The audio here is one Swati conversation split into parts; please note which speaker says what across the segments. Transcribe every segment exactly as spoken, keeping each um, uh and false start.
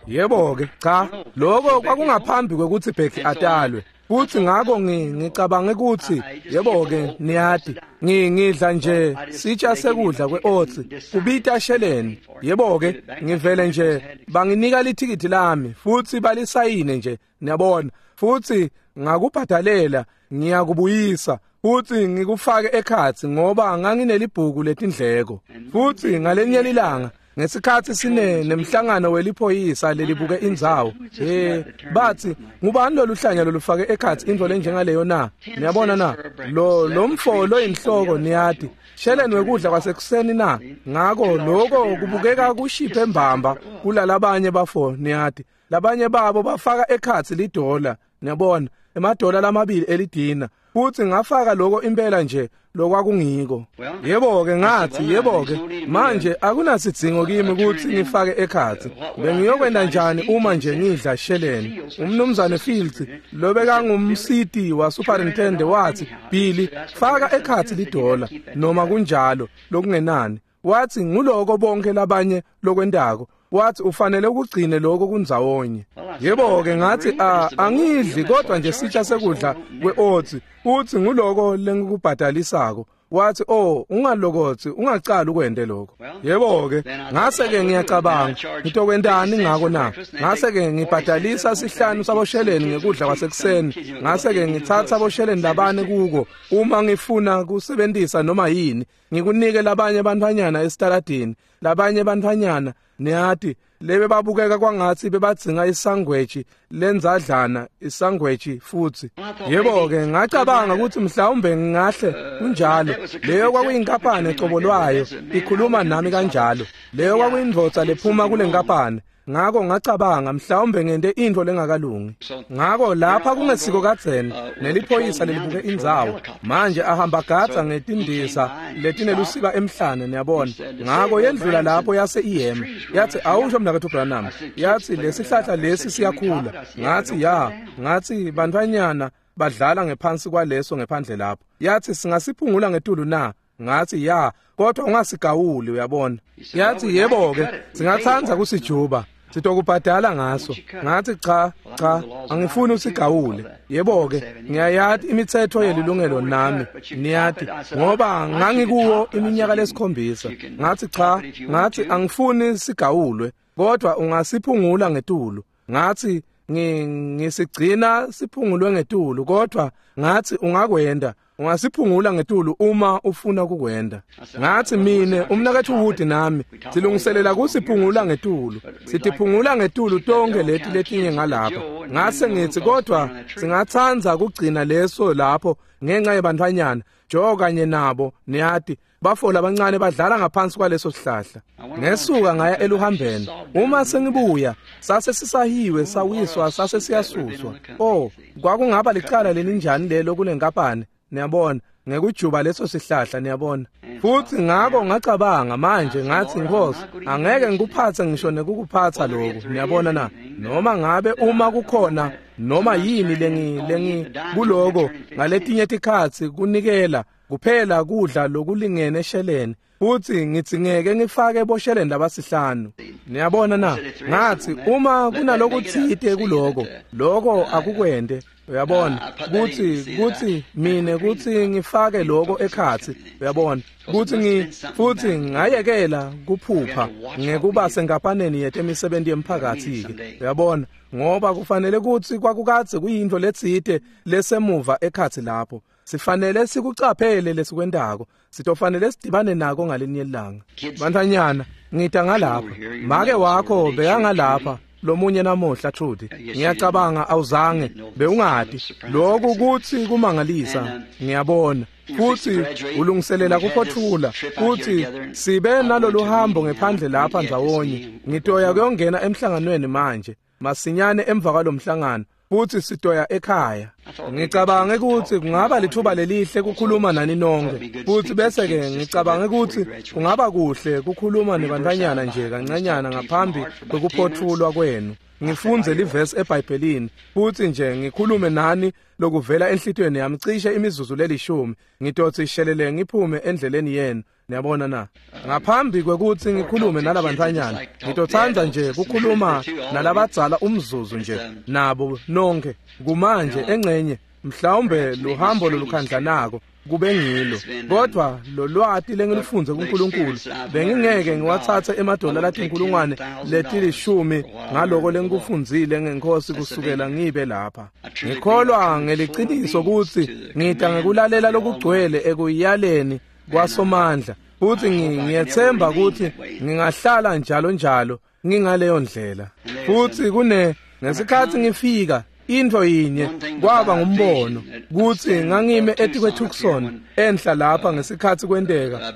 Speaker 1: Yebo-ke, cha, lokho kwakungaphambi kwekutsi Becky atalwe. Futhi ngako ngicabange ukuthi yebo-ke niyati ngidla nje sitsha sekudla kwe-oats kubita sheleni. Yebo-ke ngivele nje banginika lithikithi lami futhi balisayine nje, niyabona, futhi ngakubhadalela ngiyakubuyisa futhi ngikufake ekhatsi ngoba nganginelibhuku letindleko. Futhi ngalenye ilanga ngesikhathi sine nemhlangano weliphoyisa lelibuke indzawo, eh bathi ngubani loluhlanya lolufake ekhatsi intfo lenjengaleyo na? Niyabona na, lo lomfo loyinhloko niyati sheleni wekudla kwasekuseni na? Ngako lokho kubukeka kushiphe mbamba kulalabanye bafo, niyati labanye babo bafaka ekhatsi lidola, niyabona, emadola lamabili elidina. Futhi ngafaka lokho impela nje lokwakungiko. Yebo-ke ngathi, yebo-ke manje akunasidzingo kimi ukuthi ngifake ekhatsi. Bengiyokwenta njani uma nje ngidla sheleni? Umnumzane Fields lobekangumsiti wa superintendent wathi, Billy, faka ekhatsi lidola noma kunjalo lokungenani. Wathi nguloko bonke labanye lokwentako. Wathi ufanele ukugcine lokho kundzawonye. Yebo-ke ngathi angidli kodwa nje sitsha sekudla kwe-oats. Uthi nguloko lengikubhadalisako. Wathi oh ungalokothi ungacali ukwente lokho. Yebo-ke ngase-ke ngiyacabanga ngitokwentani ngako na? Ngase-ke ngibhadalisa sihlanu sabosheleni ngekudla kwasekuseni. Ngase-ke ngitsatsa bosheleni labane kuko uma ngifuna kusebentisa noma yini ngikunike labanye bantfwanyana esitaladini, labanye bantfwanyana niyati lebe babukeka kwangatsi bebadzinga isangweji lenzadlana isangweji futhi. Yebo-ke ngacabanga ukuthi mhlawumbe ngingahle kunjalo. Leyo kwakuyinkampani ecobo lwayo ikhuluma nami kanjalo. Leyo kwakuyindvodza lephuma kule nkampani. Ngako ngacabanga mhlawumbe ngente intfo lengakalungi. Ngako lapha kungesiko kadzeni neliphoyisa lelibuke indzawo manje ahamba gadza ngetindisa letinelusiba emhlane, niyabona. Ngako yendlula lapho yase iyema yathi awusho mnaketfu Branham, yathi lesihlahla lesi siyakhula. Ngathi ya, ngathi bantfwanyana badlala ngephansi kwaleso ngephandle lapho. Yathi singasiphungula ngetulu na? Ngathi ya, kodwa ungasigawuli, uyabona. Yathi yebo-ke singatsandza kusijuba sitokubhadala ngaso. Ngathi cha cha angifuni usigawule. Yebo-ke ngiyayati imithetho yelilungelo nami niyati ngoba ngangikuwo iminyaka lesikhombisa. Ngathi cha, ngathi angifuni sigawulwe kodwa ungasiphungula ngetulu. Ngathi ngisigcina siphungulwe ngetulu kodwa ngathi ungakwenda ungasiphungula ngetulu uma ufuna kukwenda. Ngathi mine umnaketfu Wood nami silungiselela kusiphungula ngetulu, sitiphungula ngetulu tonke leti letinye ngalapha. Ngase ngithi kodwa singatsandza kugcina leso lapho ngenxa yebantfwanyana Jo kanye nabo niyati bafo labancane badlala ngaphansi kwaleso sihlahla. Ngesuka ngaya eluhambeni. Uma sengibuya sase sisahiwe sawiswa sase siyasuswa. Oh kwakungaba licala lelinjani lelo kule nkampani, niyabona, ngekujuba leso sihlahla, niyabona. Futhi ngako ngacabanga manje ngathi Nkosi angeke ngikuphathe ngisho nekukuphatha lokho, niyabona na, noma ngabe uma kukhona noma yini lengi lengi kuloko ngaletinye tikhatsi kunikela kuphela kudla lokulingene esheleni futhi ngitsingeke ngifake bosheleni labasihlanu, niyabona na. Ngathi uma kunalokutsite kuloko lokho akukwende, uyabona, kuthi kuthi mine kuthi ngifake lokho ekhatsi, uyabona, kuthi ngi futhi ngayekela kuphupha ngekuba senkampaneni yetemisebenti yemphakathi ke, uyabona, ngoba kufanele kuthi kwakukadze kuyintfo letsite lesemuva ekhatsi lapho. Sifanele sikucaphele lesikwentako, sitofanele sidibane nako ngalinye ilanga. Bantfwanyana ngita ngalapha, make wakho bekangalapha lomunye namuhla Trudy, ngiyacabanga awuzange bewungati lokhu kuthi kumangalisa, ngiyabona. Futhi ulungiselela kuphothula futhi sibe nalolu hambo ngephandle lapha ndzawonye. Ngitoya kuyongena emhlanganweni manje masinyane emva kwalomhlangano futhi sitoya ekhaya. Ngicabange ukuthi kungaba lithuba lelihle kukhuluma nani nonke futhi bese ke ngicabange ukuthi kungaba kuhle kukhuluma nebantfwanyana nje kancanyana ngaphambi kwekuphothulwa kwenu. Ngifunze livesi eBhayibhelini futhi nje ngikhulume nani lokuvela enhlitiyweni yami cishe imizuzu lelishumi. Ngitothi shelele ngiphume endleleni yenu, Niyabona na? Ngaphambi kwekutsi ngikhulume nalabantfwanyana, ngitotsandza nje kukhuluma nalabadzala umzuzu nje nabo nonke. Kumanje engcenye mhlawumbe luhambo lolukhandlanako kube ngilo, kodwa lolwati lengilifundze kuNkulunkulu bengingeke ngiwatsatse emadola latinkulungwane letilishumi ngaloko lengikufundzile ngeNkhosi kusukela ngibe lapha. Ngikholwa ngeliciniso kutsi ngita ngekulalela lokugcwele ekuyaleni kwaSomandla, futsi ngiyetsemba kutsi ngingahlala njalo njalo ngingaleyo ndlela. Futsi kune ngesikhatsi ngifika intfo yinye kwaba ngumbono kutsi ngangime etikwe-Tucson enhla lapha ngesikhatsi kwenteka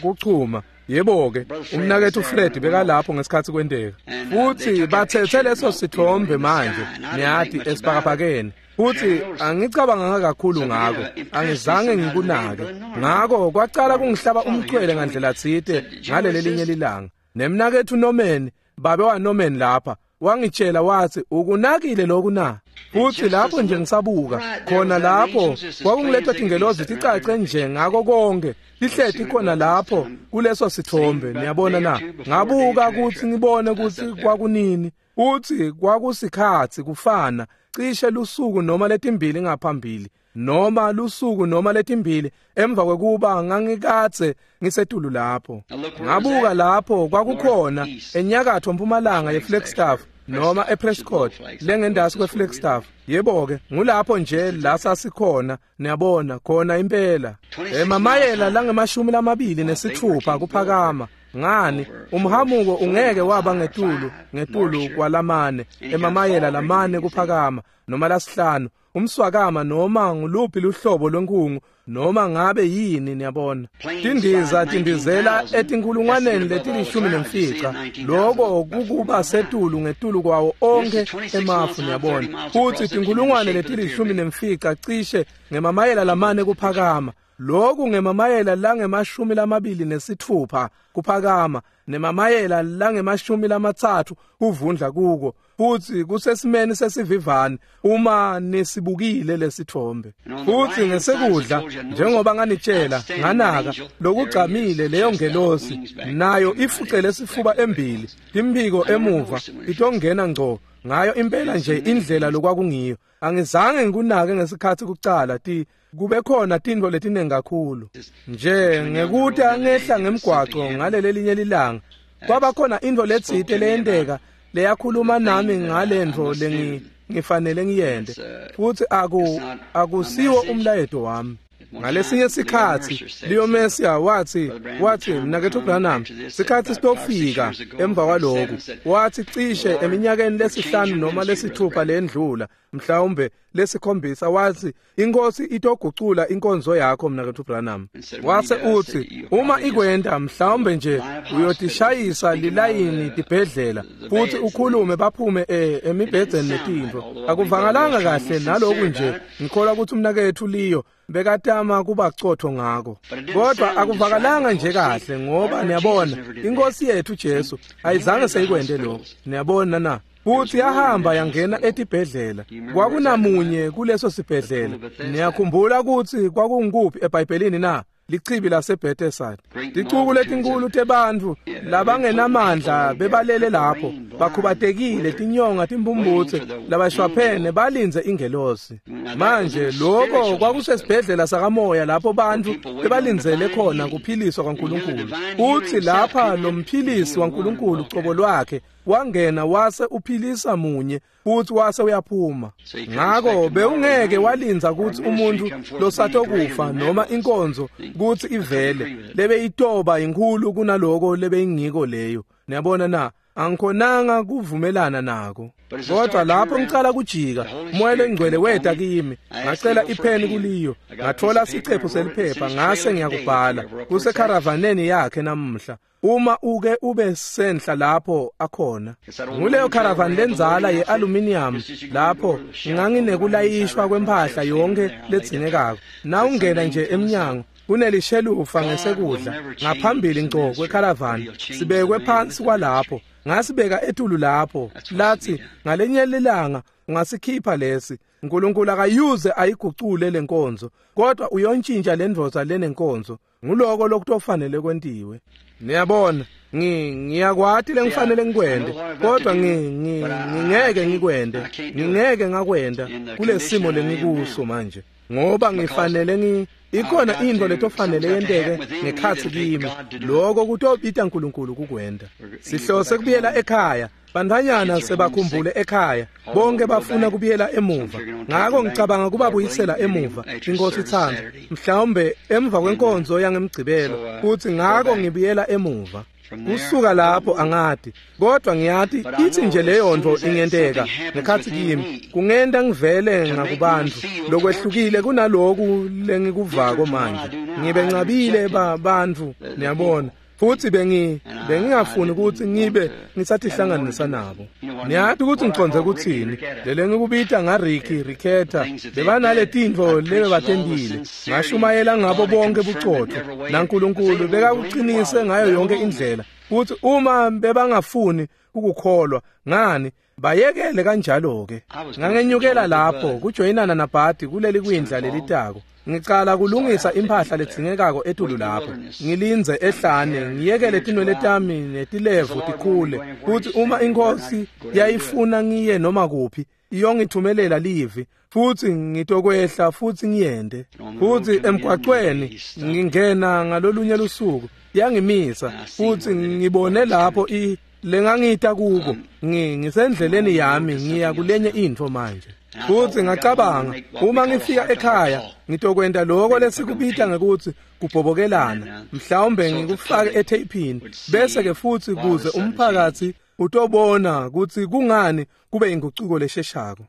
Speaker 1: kuchuma. Yebo-ke, umnaketfu Fred bekalapho ngesikhatsi kwenteka, futsi batsetse leso sithombe manje niyati esibhakabhakeni. Futsi angicabanganga kakhulu ngako, angizange ngikunake. Ngako kwacala kungihlaba umchwele ngandlela tsite ngaleli linye lilanga. Nemnaketfu Norman, babe wa Norman lapha, wangitshela wathi, ukunakile lokhu na? Futsi lapho nje ngisabuka khona lapho kwakungiletha tingelozi ticace nje ngako konke tihleti khona lapho kuleso sithombe. Niyabona na? Ngabuka kutsi ngibone kutsi kwakunini, kutsi kwakusikhatsi kufana cishe lusuku noma letimbili ngaphambili noma lusuku noma letimbili emva kwekuba ngangikadze ngisetulu lapho. Ngabuka lapho kwakukhona enyakatfo mpumalanga yeFlagstaff noma ePrescott lengendasi kweFlagstaff. Yebo-ke, ngulapho nje la sasikhona, niyabona, khona impela. Emamayela langemashumi lamabili nesitfupha kuphakama. Ngani, umhamuko ungeke waba ngetulu ngetulu kwalamane, emamayela lamane kuphakama noma lasihlanu, umswakama noma nguluphi luhlobo lwenkhungu noma ngabe yini. Niyabona, tindiza tindizela etinkulungwaneni letilishumi nemfica, loko kukuba setulu ngetulu kwawo onkhe emafu. Niyabona, futsi tinkulungwane letilishumi nemfica cishe ngemamayela lamane kuphakama, loku ngemamayela langemashumi lamabili nesitfupha kuphakama, nemamayela langemashumi lamatsatfu kuvundla kuko, futsi kusesimeni sesivivane uma nisibukile lesithombe. Futsi ngesekudla, njengoba nganitshela, nganaka lokugcamile leyo ngelosi nayo ifucele sifuba embili, timphiko emuva, itongena ngco ngayo impela nje indlela lokwakungiyo. Angizange ngikunake ngesikhatsi kucala ti kube khona tintfo letinengi kakhulu nje ngekuta ngehla ngemgwaco ngaleli linye lilanga, kwaba khona intfo letsite leyenteka leyakhuluma nami ngalentfo lengi ngifanele ngiyente, futsi aku akusiwo umlayeto wami. Ngalesinye sikhatsi Leo Messia wathi wathi mnaketfu Branham, sikhatsi sitofika emva kwaloku, wathi cishe eminyakeni lesihlanu noma lesithupha lendlula, mhlawumbe lesikhombisa, wathi inkosi itogucula inkonzo yakho mnaketfu Branham. Wase uthi uma ikwenta mhlawumbe nje uyotishayisa lilayini tibhedlela futhi ukhulume baphume emibhedzeni netintfo. Akuvangalanga kahle naloku nje, ngikholwa ukuthi umnaketfu Leo bekatama kubacotho ngako, kodwa akuvakalanga nje kahle, ngoba niyabona inkosi yethu Jesu ayizange seyikwente lokho. Niyabona na? Futhi yahamba yangena etibhedlela. Kwakunamunye kuleso sibhedlela. Niyakhumbula ukuthi kwakunguphi eBhayibhelini na? Lichibi laseBethesda. Ticuku letinkulu tebantfu labangenamandla bebalele lapho, bakhubatekile, tinyonga, timbumbutse, labashwaphene, balindze ingelosi. Manje lokho kwakusesibhedlela sakamoya lapho bantfu bebalindzele khona kuphiliswa kwaNkulunkulu. Uthi lapha lo mphilisi waNkulunkulu cobo lwakhe wangena wase uphilisa munye futhi wase uyaphuma. Ngako bewungeke walindza kutsi umuntu losatokufa noma inkonzo kutsi ivele lebeyitoba inkhulu kunaloko lebeyingiko leyo. Niyabona na? Angikhonanga kuvumelana nako. Kodwa lapho ngicala kujika, umoya lengcwele weta kimi, ngacela ipheni kuliyo, ngathola sicephu seliphepha ngase ngiyakubhala kusekharavaneni yakhe namuhla. Uma uke ube senhla lapho akhona, nguleyo caravan lenzala ye-aluminium lapho nganginekulayishwa kwempahla yonke ledzingekako. Nawungena nje emnyango kunelishelufa ngesekudla ngaphambili ngco kwecaravan, sibekwe phansi kwalapho, ngasibeka etulu lapho. Lathi ngalenye lilanga ungasikhipha lesi. uNkulunkulu akayuze ayigucule lenkonzo, kodwa uyontshintsha lendvodza lenenkonzo. Nguloko lokutofanele kwentiwe. Niyabona, ngi ngiyakwati lengifanele ngikwente, kodwa ngi ngingeke ngikwente, ngingeke ngakwenta kulesimo lengikuso manje, ngoba ngifanele ngi ikhona into letofanele yenteke ngekhatsi kimi. Lokho kutobita uNkulunkulu kukwenta. Sihlose kubuyela ekhaya. Bantfwanyana sebakhumbule ekhaya, bonke bafuna kubuyela emuva. Ngako ngicabanga kubabuyisela emuva, inkosi itsandza, mhlawumbe emva kwenkonzo yangemgcibelo, kuthi ngako ngibuyela emuva. Kusuka lapho angati, kodwa ngiyati ithi nje leyo nto ingenteka ngekhatsi kimi, kungenta ngivele ngakubantfu lokwehlukile kunaloku lengikuvako manje. Ngibencabile bantfu, niyabona. Futhi bengi bengingafuni ukuthi ngibe ngisatihlanganisa nabo. Niyati ukuthi ngiconze kuthini. Lele ngikubita ngaRicky Ricketta bebanale tintfo lebebatentile. Ngashumayela ngabo bonke bucotho naNkulunkulu bekakuqinise ngayo yonke indlela. Futhi uma bebangafuni ukukholwa ngani bayekele kanjalo ke. Ngangenyukela lapho kujoyinana naBhadi kuleli kwindla lelitako. Ngicala kulungisa impahla ledzingekako etulu lapho. Ngilindze ehlane, ngiyekele tinwele tami netilevu tikhule. Futhi uma inkosi yayifuna ngiye noma kuphi, iyongithumelela livi, futhi ngitokwehla futhi ngiyende. Futhi emgwaqweni ngingena ngalolunye lusuku, yangimisa, futhi ngibone lapho i lengangita kuko. Ngisendleleni yami ngiya kulenye intfo manje. Futhi ngacabanga uma ngifika ekhaya ngitokwenta lokho lesikubita ngekuthi kubhobokelana, mhlawumbe ngikufake etheyphini, bese ke futhi kuze umphakathi utobona ukuthi kungani kube ingucuko lesheshako.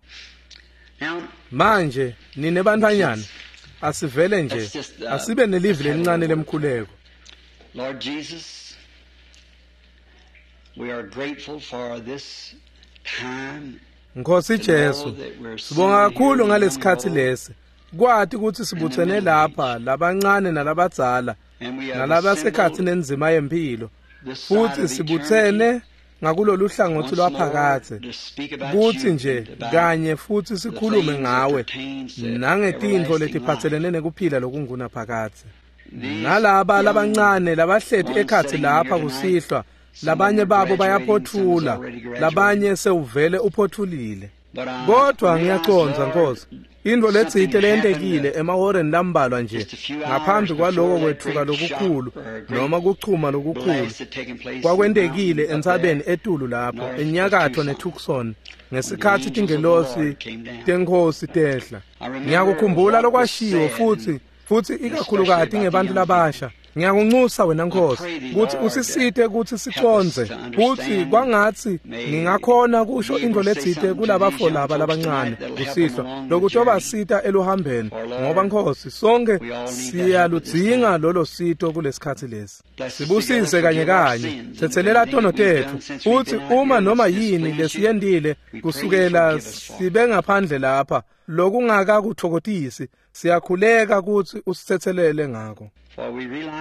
Speaker 1: Manje nine bantfwanyana asivele nje asibe nelivi lelincane lemkhuleko.
Speaker 2: Lord Jesus, we are grateful for this time.
Speaker 1: Nkosi Jesu, sibonga kakhulu ngalesikhatsi lesi. Kwati ukuthi sibuthene lapha labancane nalabadzala nalabasekhathi nenzima yempilo, futhi sibuthene ngakulolu hlangothi lwaphakathe kuthi nje kanye futhi sikhulume ngawe nangetintfo letiphatselene nekuphila lokungunaphakathe. Nalaba labancane labahleti ekhatsi lapha kusihlwa, labanye babo bayaphothula, labanye sewuvele uphothulile. Kodwa ngiyacondza Nkosi, intfo letsite leyentekile emahoreni lambalwa nje ngaphambi kwaloko kwetfuka lokukhulu noma kuchuma lokukhulu kwakwentekile entsabeni etulu lapho enyakatfo neTucson ngesikhatsi tingelosi tenkhosi tehla. Ngiyakukhumbula lokwashiwo futhi futhi ikakhulukati ngebantu labasha. Ngiyakunxusa wena Nkosi ukuthi usisite ukuthi sicondze, futhi kwangatsi ngingakhona kusho intfo letsite kulabafo laba labancane kusihlwa lokutobasita eluhambeni, ngoba Nkosi sonke siyaludzinga lolo sito kulesikhatsi lesi. Sibusise kanye kanye, tsetselela tono tetfu, futhi uma noma yini lesiyentile kusukela sibe ngaphandle lapha lokungakakutfokotisi, siyakhuleka kutsi usitsetselele ngako.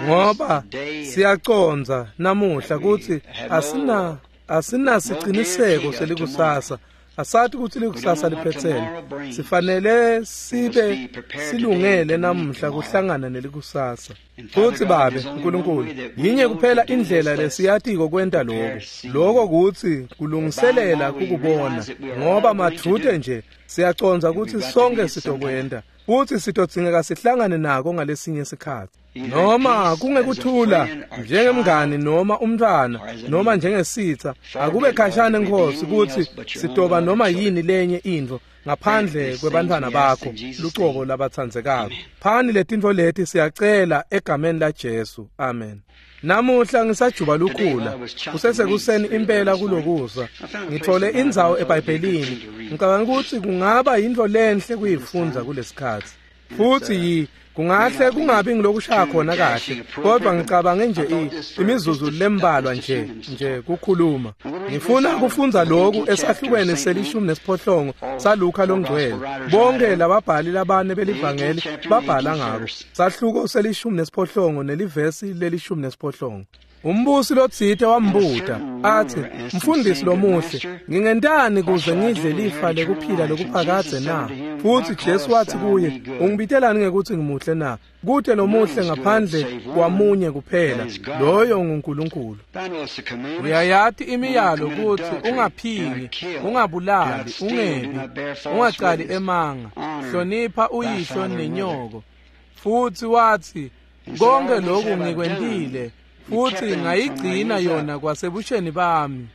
Speaker 1: Ngoba siyacondza namuhla kutsi asina asinasiciniseko selikusasa, asati kutsi likusasa liphetsene. Sifanele sibe silungele namuhla kuhlangana nelikusasa. Futsi Babe Nkulunkulu, yinye kuphela indlela lesiyatiko kwenta lokho, lokho kutsi kulungiselela kukubona, ngoba madvute nje siyacondza kutsi sonke sitokwenta, futhi sitodzingeka sihlangane nako ngalesinye sikhatsi. Noma kungekuthula njengemngani noma umntwana noma njengesitha, akube khashane Nkosi kutsi sitoba noma yini lenye intfo ngaphandle kwebantfwana bakho lucobo labatsandzekako. Phani letintfo leti siyacela egameni la Jesu. Amen. Namuhla ngisajuba lukhula kusesekuseni impela kulokusa ngithole indzawo eBhayibhelini. Ngicabanga ukuthi kungaba yintfo lenhle kuyifundza kulesikhatsi, futhi yi kungahle kungabi ngilokushaya khona kahle, kodwa ngicabange nje imizuzu lembalwa nje nje kukhuluma. Ngifuna kufundza lokhu esahlukweni selishumi nesiphohlongo saLuka longcwele. Bonke lababhali labane belivangeli babhala ngako. Sahluko selishumi nesiphohlongo nelivesi lelishumi nesiphohlongo. Umbusi lotsite wambuta athi, "Mfundisi lomuhle, ngingentani kuze ngidle lifa lekuphila lokuphakadze na?" Futhi Jesu wathi kuye, "Ungibitelani ngekuthi ngimuhle na? Kute lomuhle ngaphandle kwamunye kuphela, loyo nguNkulunkulu. Uyayati imiyalo kutsi ungaphingi, ungabulali, ungebi, ungacali emanga, hlonipha uyihlo nenyoko." Futhi wathi, "Konke lokhu ngikwentile, futhi ngayigcina yona kwasebusheni bami."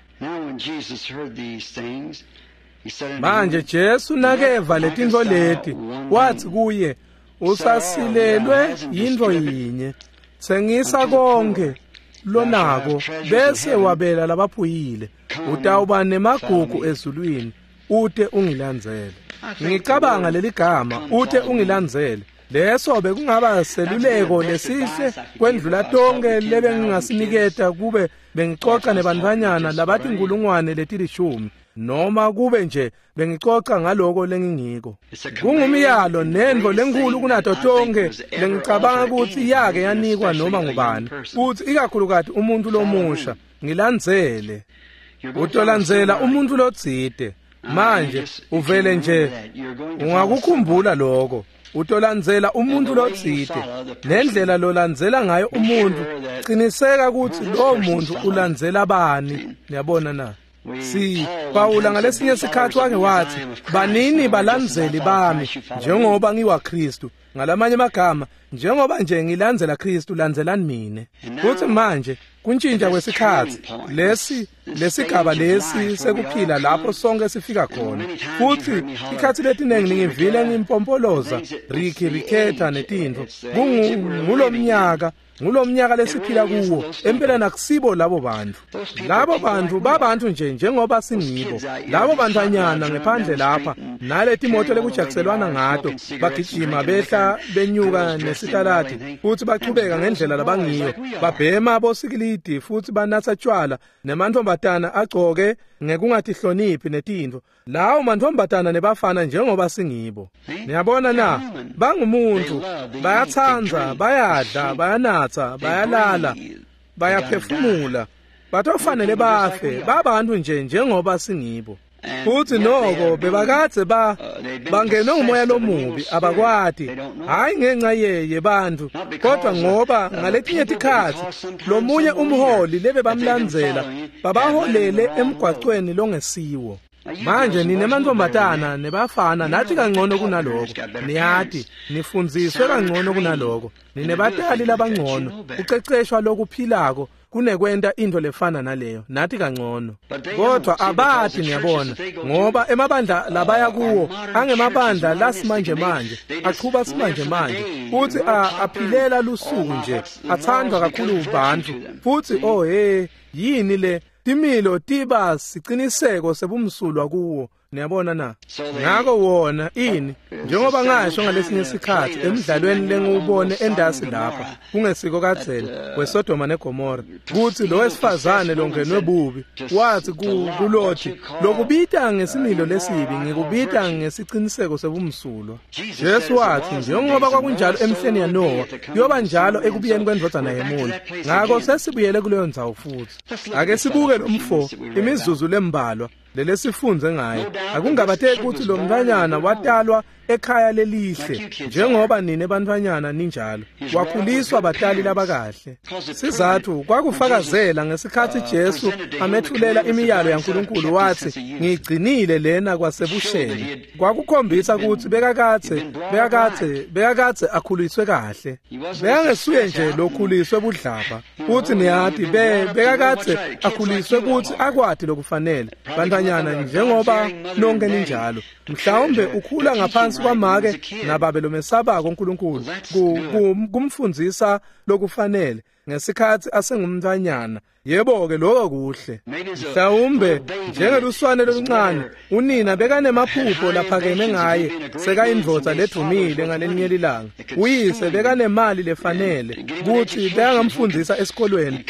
Speaker 1: Manje Jesu nakeva letintfo leti, wathi kuye, "Usasilelwe yintfo yinye, tsengisa konke lonako bese wabela labaphuyile, utawuba nemagugu ezulwini, ute ungilandzele." Ngicabanga leligama ute ungilandzele, leso bekungaba seluleko lesihle kwendlula tonke lebengingasiniketa kube bengicoca nebantfwanyana labatinkulungwane letilishumi, noma kube nje bengicoca ngaloko lengingiko. Kungumyalo nentfo lenkhulu kunato tonke lengicabanga kutsi yake yanikwa noma ngubani, futsi ikakhulukati umuntu lomusha, ngilandzele. Utolandzela umuntu lotsite. Manje uvele nje ungakukhumbula lokho. Utolandzela umuntu lotsite, nendlela lolandzela ngayo umuntu, qiniseka kutsi lowo muntu ulandzela bani. Niyabona na? Si Pawula ngalesinye sikhathi wake wathi, "Banini balandzeli bami njengoba ngiwaKristu." Ngalamanye amagama, njengoba nje ngilandzela Kristu, landzelani mine. Futhi manje kuntshintsha kwesikhathi lesi, lesigaba lesi sekuphila lapho sonke sifika khona. Futhi ikhathi letiningi ngivile ngimpompoloza Ricky Ricketta netintfo. Ngulomnyaka ngulomnyaka lesiphila kuwo, empela nakusibo labo bantu. Labo bantu babantu nje njengoba singibo. Labo bantfwanyana ngephandle lapha naleti moto lekujakuselwana ngato, bagijima behla benyuka nesitalati futhi bachubeka ngendlela labangiyo, babhema bosikilidi futhi banatsa tshwala, nemantfombatana agcoke ngekungatihloniphi netintfo. Lawo mantfombatana nebafana njengoba singibo. Niyabona na? Bangumuntu, bayatsandza, bayadla, bayanatsa, bayalala, bayaphefumula, batofanele bafe, babantu nje njengoba singibo. Futhi noko bebakadze ba bangenwe ngumoya lomubi, abakwati, hayi ngenxa yebantu, kodwa ngoba ngaletinye tikhatsi lomunye umholi lebebamlandzela babaholele emgwacweni longesiwo. Manje nine mantfombatana nebafana nathi kangcono kunaloko, niyati nifundziswe kangcono kunaloko, ninebatali labangcono, kuceceshwa lokuphilako kunekwenta into lefana naleyo, nathi kangcono. Kodwa abati, niyabona, ngoba emabandla labaya kuwo angemabandla lasimanje manje, aqhuba simanje manje, futhi aphilela lusuku nje, athandwa kakhulu bantu. Futhi oh hey, yini le timilo tiba siciniseko sebumsulwa kuwo. Niyabona na? Ngako wona ini, njengoba ngasho ngalesinye sikhathi emidlalweni lengiwubone endasi lapha kungesiko kadzeni weSodoma neGomora, kutsi lo wesifazane longenwe bubi wathi kuLothi, "Lokubita ngesimilo lesibi ngikubita ngesiciniseko sebumsulwa." Jesu wathi, njengoba kwakunjalo emihleni yaNowa, kuyoba njalo ekubuyeni kwendvodzana yemuntu. Ngako sesibuyele kuleyo ndzawo futhi. Ake sibuke lomfo imizuzu lembalwa lelesifunze ngaye. Akungabateki kutsi lo mntfwanyana watalwa ekhaya lelihle, njengoba nine bantfwanyana ninjalo, wakhuliswa batali labakahle. Sizathu kwakufakazela ngesikhatsi Jesu amethulela imiyalo yaNkulunkulu, wathi, "Ngigcinile lena kwasebusheni." Kwakukhombisa kutsi bekakadze bekakadze bekakadze akhuliswe kahle. Bekangesuye nje lokhuliswe budlabha. Futhi niyati bekakadze akhuliswe kutsi akwati lokufanele. Bantfwanyana njengoba nonke ninjalo, mhlawumbe ukhula ngaphansi kwamake nababe lomesabako uNkulunkulu kumfundzisa lokufanele ngesikhatsi asengumntfwanyana. Yebo-ke, lokho kuhle. Mhlawumbe njengeluswane loluncane, unina bekanemaphupho laphakeme ngaye, sekayindvodza ledvumile ngalelinye lilanga. Uyise bekanemali lefanele kutsi bekangamfundzisa esikolweni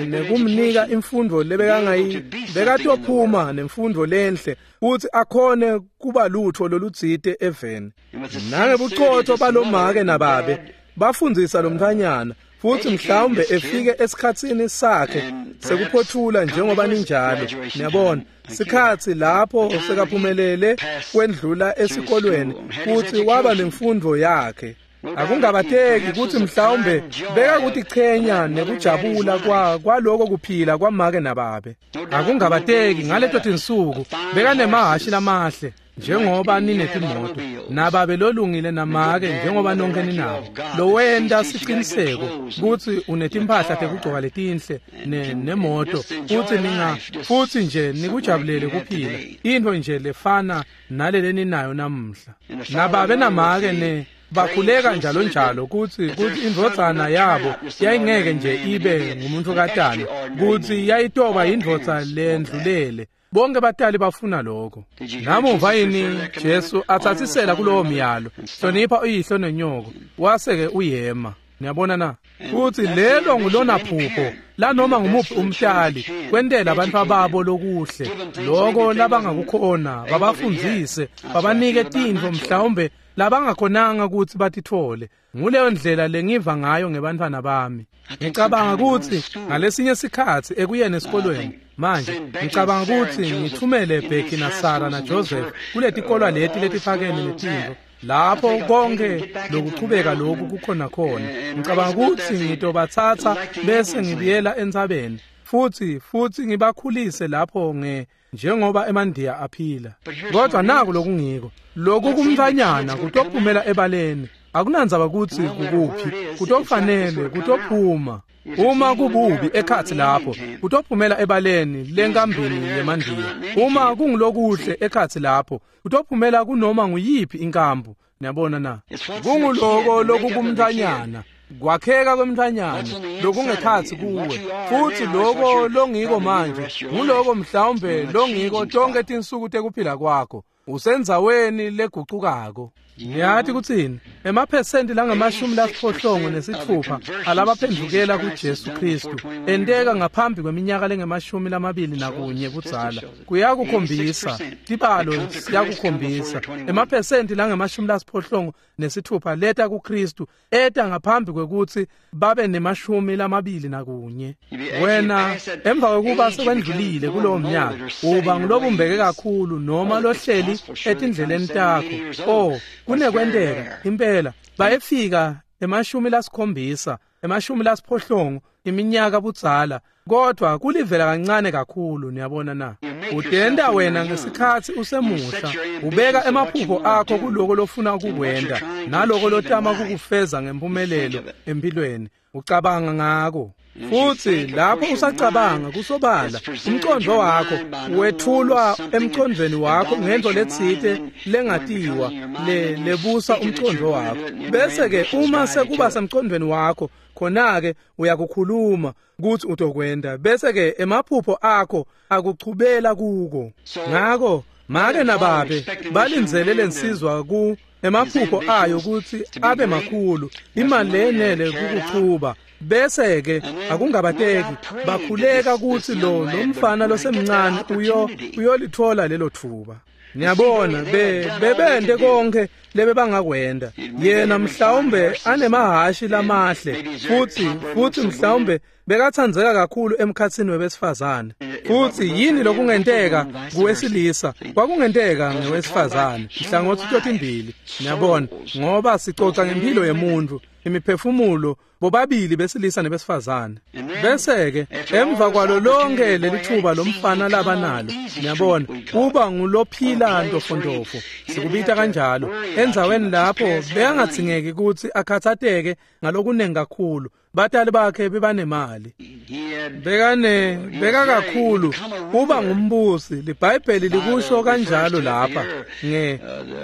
Speaker 1: nekumnika imfundvo lebekangayi, bekatophuma nemfundvo lenhle kutsi akhone kuba lutho lolutsite eveni. Nangebucotho balomake nababe bafundzisa lomntfwanyana Futhi mhlawumbe efike esikhatsini sakhe sekuphothula njengoba ninjalo, niyabona, sikhatsi lapho sekaphumelele kwendlula esikolweni futhi waba nemfundo yakhe. Akungabateki kutsi mhlawumbe bekakutichenya nekujabula kwa kwaloko kuphila kwamake nababe. Akungabateki ngaleto tinsuku bekanemahhashi lamahle njengoba ninetimoto, nababe lolungile namake njengoba nonke ninabo, lowenta siciniseko kutsi unetimphahla tekugcoka letinhle ne nemoto, futsi ninga futsi nje nikujabulele kuphila, intfo nje lefana nalele ninayo namuhla. Nababe namake ne bakhuleka njalo njalo kutsi kutsi indvodzana yabo yayingeke nje ibe ngumuntukatana, kutsi yayitoba indvodza lendlulele. Bonke batali bafuna lokho. Namuva yini Jesu atsatsisela kulowo myalo, hlonipha uyihlo nenyoko, wase-ke uyema. Niyabona na? Futsi lelo ngulona phupho lanoma ngumuphi umtali kwentela abantu babo lokuhle, lokho labangakukhona babafundzise, babanike tintfo mhlawumbe labangakhonanga kutsi batitfole. Nguleyo ndlela lengiva ngayo ngebantfwana bami. Ngicabanga kutsi ngalesinye sikhatsi ekuyeni esikolweni manje ngicabanga kutsi ngithumele Becky na Sarah na Joseph kuletikolwa leti letiphakeme netintfo lapho konke lokuchubeka lokhu kukhona khona. Ngicabanga kutsi ngitobatsatsa bese ngibuyela entsabeni futhi futhi ngibakhulise lapho nge njengoba emandiya aphila. Kodwa naku lokungiko, lokhu kumntfanyana kutophumela ebaleni. Akunandzaba kutsi kukuphi, kutofanele kutophuma. Uma kububi ekhatsi lapho, kutophumela ebaleni lenkambini yemandiya. Uma kungulokuhle ekhatsi lapho, kutophumela kunoma nguyiphi inkambu. Niyabona na? Kunguloko lokukumntfanyana, kwakheka kwemntfanyana lokungekhatsi kuwe, futsi loko longiko manje nguloko mhlawumbe longiko tonke tinsuku tekuphila kwakho. Usendzaweni legucukako. Ngiyathi kutsini? Emaphesenti langamashumi lasiphohlongo nesitfupha alabaphendvukela kuJesu Kristu enteka ngaphambi kweminyaka lengemashumi lamabili nakunye kudzala. Kuyakukhombisa, tibalo siyakukhombisa. Emaphesenti langemashumi lasiphohlongo nesitfupha leta kuKristu eta ngaphambi kwekutsi babe nemashumi lamabili nakunye. Wena emva kwekuba sekwendlulile kulowo mnyaka uba ngulobumbeke kakhulu noma lohleli etindleleni takho. Oh, kunekwenteka impela bayefika emashumi lasikhombisa, emashumi lasiphohlongo iminyaka budzala, kodwa kulivela kancane kakhulu. Niyabona na? Udenda wena ngesikhatsi usemusha, ubeka emaphupho akho kuloko lofuna ukukwenta naloko lotama kukufeza ngempumelelo empilweni. Ucabanga ngako. Futhi lapho usacabanga kusobala umqondo wakho wethulwa emqondweni wakho ngento letsite lengatiwa le lebusa umqondo wakho. Bese ke uma sekuba semqondweni wakho khona ke uyakukhuluma kuthi utokwenda, bese ke emaphupho akho akuchubela kuko. Ngako make nababe balindzele lensizwa ku emaphupho ayo kutsi abe makhulu, imali lenele kukuchuba. Bese ke akungabateki bakhuleka kutsi lo lomfana losemncane uyo uyolithola lelo thuba. Niyabona be bebente konke lebebangakwenda. Yena mhlawumbe anemahhashi lamahle futhi futhi mhlawumbe bekatsandzeka kakhulu emkhatsini webesifazane. Futhi yini lokungenteka kuwesilisa kwakungenteka ngewesifazane nhlangothi totimbili. Niyabona, ngoba sicoca ngempilo yemuntu, imiphefumulo bobabili besilisa nebesifazane. Bese ke emva kwalo lonke lelithuba lomfana labanalo, niyabona, uba ngulophila ntofontofo, sikubita kanjalo, endzaweni lapho bekangatsingeki kutsi akhatsateke ngalokunengi kakhulu. Batali bakhe bebanemali, bekane beka kakhulu uba ngumbusi. LiBhayibheli likusho kanjalo lapha nge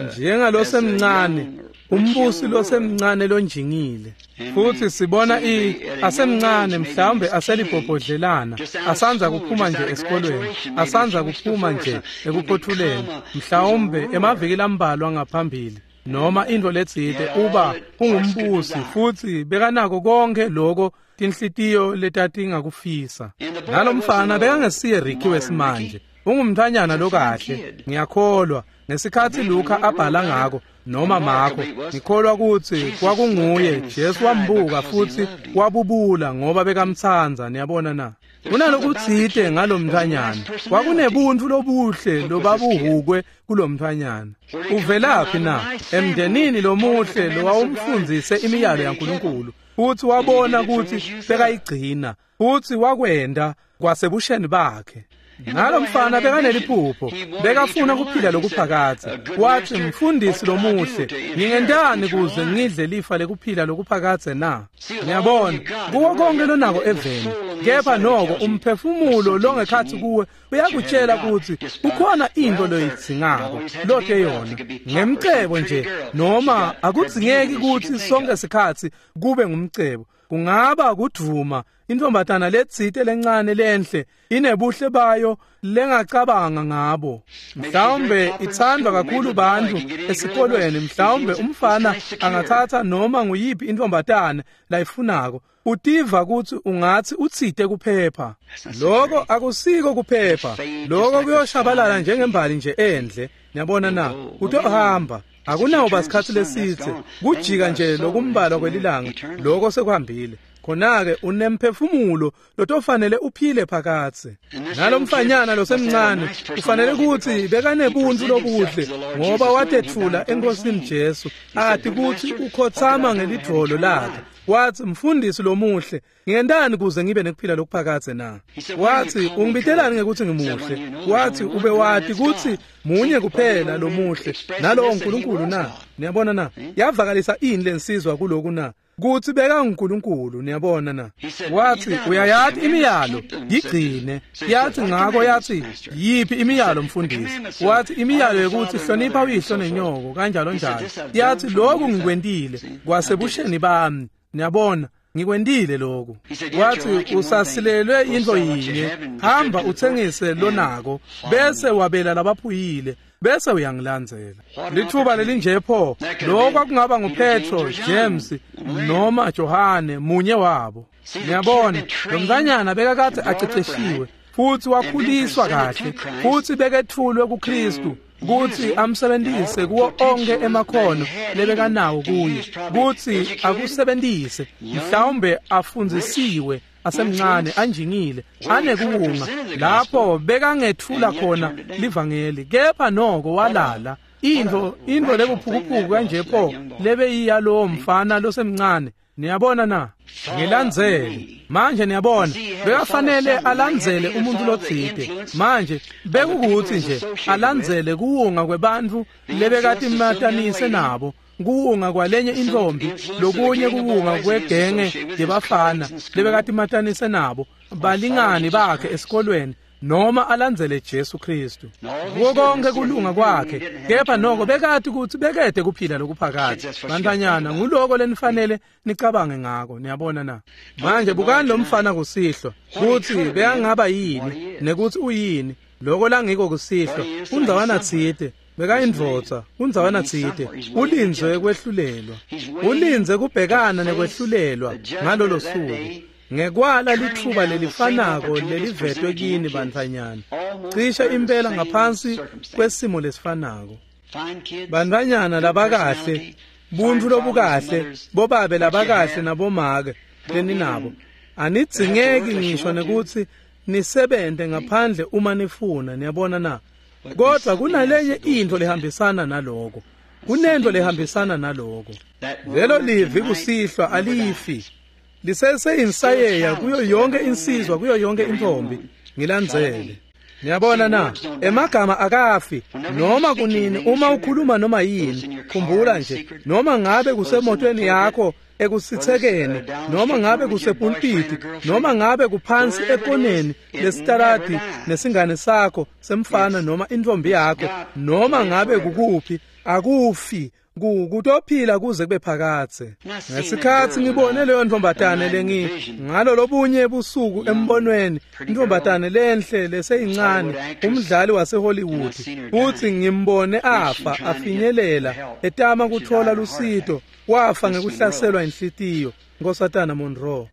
Speaker 1: njengalosemncane, umbusi losemncane lonjingile. Futhi sibona i asemncane mhlawumbe aselibhobhodlelana, asanza kuphuma nje esikolweni, asanza kuphuma nje ekuphothuleni, mhlawumbe emaviki lambalwa ngaphambili noma intfo letsite, uba ungumbusi futhi bekanako konke lokho tinhlitiyo letatingakufisa. Nalomfana bekangesiye Ricky wesimanje, ungumntfanyana lokahle, ngiyakholwa. Ngesikhatsi Luka abhala ngako, noma Marko, ngikholwa kutsi kwakunguye. Jesu wambuka futsi wabubula ngoba bekamtsandza. Niyabona na? Kunalokutsite ngalomntfwanyana, kwakunebuntu lobuhle lobabuhukwe kulomntfwanyana. Uvelaphi na? Emndenini lomuhle lowawumfundzise imiyalo yaNkulunkulu, futsi wabona kutsi bekayigcina, futsi wakwenta kwasebusheni bakhe. Nalomfana bekaneliphupho, bekafuna kuphila lokuphakadze. Wathi, mfundisi lomuhle, ngingentani kuze ngidle lifa lekuphila lokuphakadze na? Ngiyabona, kuwo konke lonako eveni, kepha noko umphefumulo longekhatsi kuwe uyakutshela kutsi kukhona into loyidzingako lote yona. Ngemcebo nje, noma akudzingeki kutsi sonke sikhatsi kube ngumcebo. Kungaba kudvuma intombatana letsite lencane lenhle inebuhle bayo lengacabanga ngabo. Mhlawumbe ithandwa kakhulu bantfu esikolweni, mhlawumbe umfana angathatha noma nguyiphi intombatana layifunako. Utiva kutsi ungatsi utsite kuphepha. Lokho akusiko kuphepha. Lokho kuyoshabalala njengembali nje endle. Niyabona na? Utohamba. Akunawo sikhatsi lesitse kujika nje lokumbalwa kwelilanga, lokho sekuhambile. Khona-ke unemphefumulo lotofanele uphile phakatsi. Nalomfanyana losemncane ufanele kutsi bekanebuntu lobuhle ngoba watetfula eNkosini Jesu, ati kutsi ukhotsama ngelidvolo lakhe. Wathi, mfundisi lomuhle, ngiyentani kuze ngibe nekuphila lokuphakadze na? Wathi, ungibitelani ngekuthi ngimuhle? Wathi, ube wati kutsi munye kuphela lomuhle, nalowo uNkulunkulu na? Niyabona na? Yavakalisa ini lensizwa kuloku na? Kutsi bekanguNkulunkulu. Niyabona na? Wathi, uyayati imiyalo, yigcine. Yathi ngako yathi, yiphi imiyalo mfundisi? Wathi, imiyalo yokuthi hlonipha uyihlo nenyoko kanjalo njalo. Yathi, lokhu ngikwentile kwasebusheni bami. Niyabona, ngikwentile lokhu. Wathi, usasilelwe into yinye, hamba uthengise lonako bese wabela labaphuyile, bese uyangilandzela. Lithuba lelinje pho, lokho kwakungaba nguPetro, James noma Johane, munye wabo. Niyabona, lo mntanyana bekakade aceceshiwe futhi wakhuliswa kahle, futhi bekethulwe kuKristu kutsi amsebentise kuwo onke emakhono lebekanawo kuye, kutsi akusebentise. Mhlawumbe afundzisiwe asemncane, anjingile, anekuwunga lapho bekangethula khona livangeli, kepha noko walala. Into into lekuphukuphuku kanje pho lebeyiya lowo mfana losemncane. Niyabona na? Ngilandzele. Manje niyabona, bekafanele alandzele umuntu lotsite. Manje bekukuthi nje alandzele kuwunga kwebantfu lebekatimatanise nabo, kuwunga kwalenye intombi, lokunye kuwunga kwegenge yebafana lebekatimatanise nabo, balingani bakhe esikolweni, noma alandzele Jesu Kristu. Kuko konke kulunga kwakhe, kepha noko bekati kutsi bekede kuphila lokuphakadze. Bantfwanyana, nguloko lenifanele nicabange ngako. Niyabona na? Manje bukani lo mfana kusihlwa, kutsi bekangaba yini nekutsi uyini. Loko langiko kusihlwa, undzawana tsite bekayindvodza, undzawana tsite ulindze kwehlulelwa, ulindze kubhekana nekwehlulelwa ngalolo suku. Ngekwala lithuba lelifanako lelivetwe kini bantfwanyana, cishe impela ngaphansi kwesimo lesifanako. Bantfwanyana labakahle, buntfu lobukahle, bobabe labakahle nabomake leninabo, anidzingeki ngisho nekutsi nisebente ngaphandle uma nifuna. Niyabona na? Kodwa kunalenye into lehambisana naloko, kunento lehambisana naloko. Lelo livi kusihlwa alifi, liseseyinsayeya kuyo yonke insizwa, kuyo yonke intombi. Ngilandzele. Niyabona na? Emagama akafi noma kunini uma ukhuluma noma yini. Khumbula nje, noma ngabe kusemotweni yakho ekusithekeni, noma ngabe kusepulpiti, noma ngabe kuphansi ekoneni lesitarati nesingane sakho semfana noma intombi yakho, noma ngabe kukuphi, akufi. Kutophila kuze kube phakadze. Ngesikhatsi ngibone leyo ntombatane lengi ngalo lobunye busuku embonweni, intombatane lenhle leseyincane, umdlali waseHollywood, futhi ngimbone afa afinyelela etama kuthola lusito, wafa ngekuhlaselwa inhlitiyo, Nkosatana Monroe.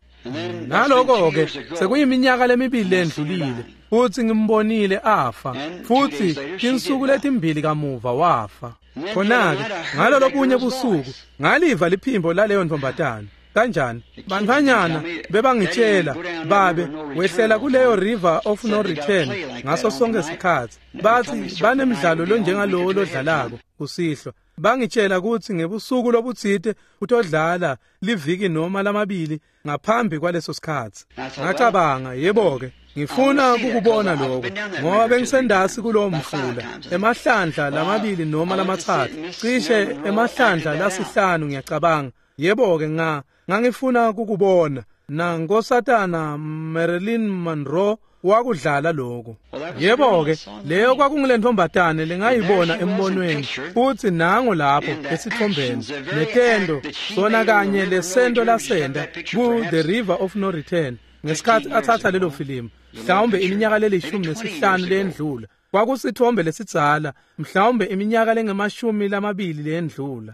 Speaker 1: Naloko-ke sekuyiminyaka lemibili lendlulile futsi ngimbonile afa, futsi tinsuku letimbili kamuva wafa. Khona-ke ngalolo bunye busuku ngaliva liphimbo laleyo ntombazane. Kanjani? Bantfwanyana bebangitshela, babe wehlela kuleyo River of No Return ngaso sonke sikhatsi. Bathi banemidlalo lonjengalowo lodlalako kusihlwa. Bangitshela kutsi ngebusuku lobutsite utodlala liviki noma lamabili ngaphambi kwaleso sikhatsi. Ngacabanga, yebo-ke, ngifuna kukubona lokho ngoba bengisendasi kulowo mfula emahlandla lamabili noma lamatsatfu, cishe emahlandla lasihlanu ngiyacabanga. Yebo-ke, nga ngangifuna kukubona. Nankosatana Marilyn Monroe wakudlala lokho. Yebo-ke, leyo kwakungulentombatane lengayibona embonweni, futsi nango lapho esitfombeni netento sona kanye lesento lasenda ku The River of No Return ngesikhatsi atsatsa lelo filimu, mhlawumbe iminyaka lelishumi nesihlanu lendlula. Kwakusithombe lesidzala, mhlawumbe iminyaka lengemashumi lamabili lendlula.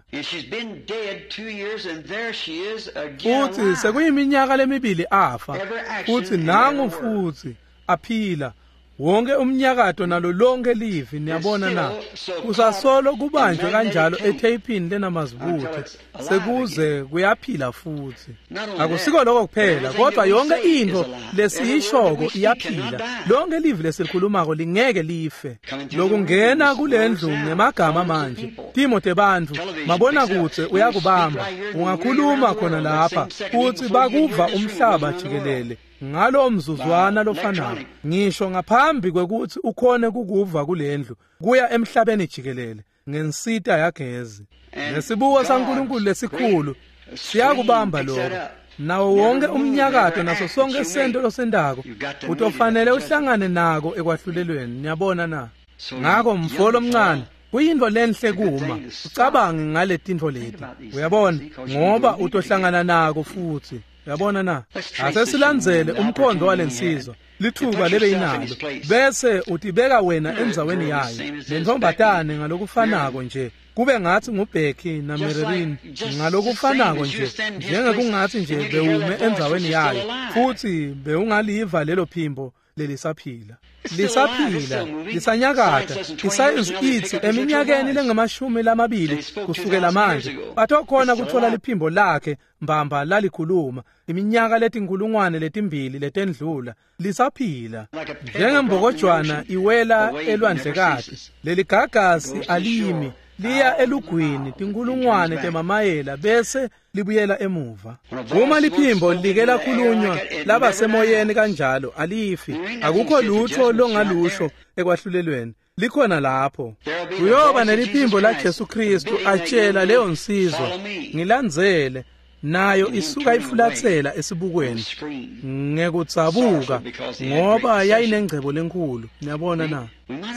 Speaker 1: Futsi sekuyiminyaka lemibili afa, futsi nangu futsi aphila. Wonke umnyakato nalo lonke livi, niyabona na, kusasolo kubanjwe kanjalo etheyipini lenamazibuthe sekuze kuyaphila futhi. Akusiko lokho kuphela, kodwa yonke into lesiyishoko iyaphila. Lonke livi lesilikhulumako lingeke life. Lokungena kulendlu ngemagama manje, timo tebantfu, mabona kutse uyakubamba. Ungakhuluma khona lapha futsi bakuva umhlaba jikelele ngalo mzuzwana lofanako, ngisho ngaphambi kwekutsi ukhone kukuva kulendlu kuya emhlabeni jikelele ngensita yagezi. Nesibuko saNkulunkulu lesikhulu siyakubamba lokho. Nawo wonke umnyakato naso sonke sento losendako utofanele uhlangane nako ekwahlulelweni, niyabona na. Ngako mfo lomncane, kuyintfo lenhle kuma ucabange ngale tintfo leti, uyabona, ngoba utohlangana nako futhi. Uyabona na? Ase silandzele umkhondo walensizwa, lithuba lebe inalo, bese utibeka wena endzaweni yayo. Lentombatane ngalokufanako nje, kube ngathi nguBecky naMarilyn ngalokufanako nje, njengekungathi nje bewume endzaweni yayo, futhi bewungaliva lelo phimbo lelisaphila. Lisaphila, lisanyakata. Isayensi ithi eminyakeni lengamashumi lamabili kusukela manje batokhona kuthola liphimbo lakhe mbamba lalikhuluma iminyaka letinkulungwane letimbili letendlula. Lisaphila njengembokojwana iwela elwandlekati. Leligagasi alimi, liya elugwini tinkulungwane temamayela bese libuyela emuva. Uma liphimbo like lakhulunywa labasemoyeni kanjalo, alifi. Akukho lutho longalusho ekwahlulelweni, likhona lapho. Kuyoba neliphimbo la Jesu Kristu atshela leyo nsizwa, ngilandzele, nayo isuka ifulatsela esibukweni ngekudzabuka ngoba yayinengcebo lenkulu. Niyabona na?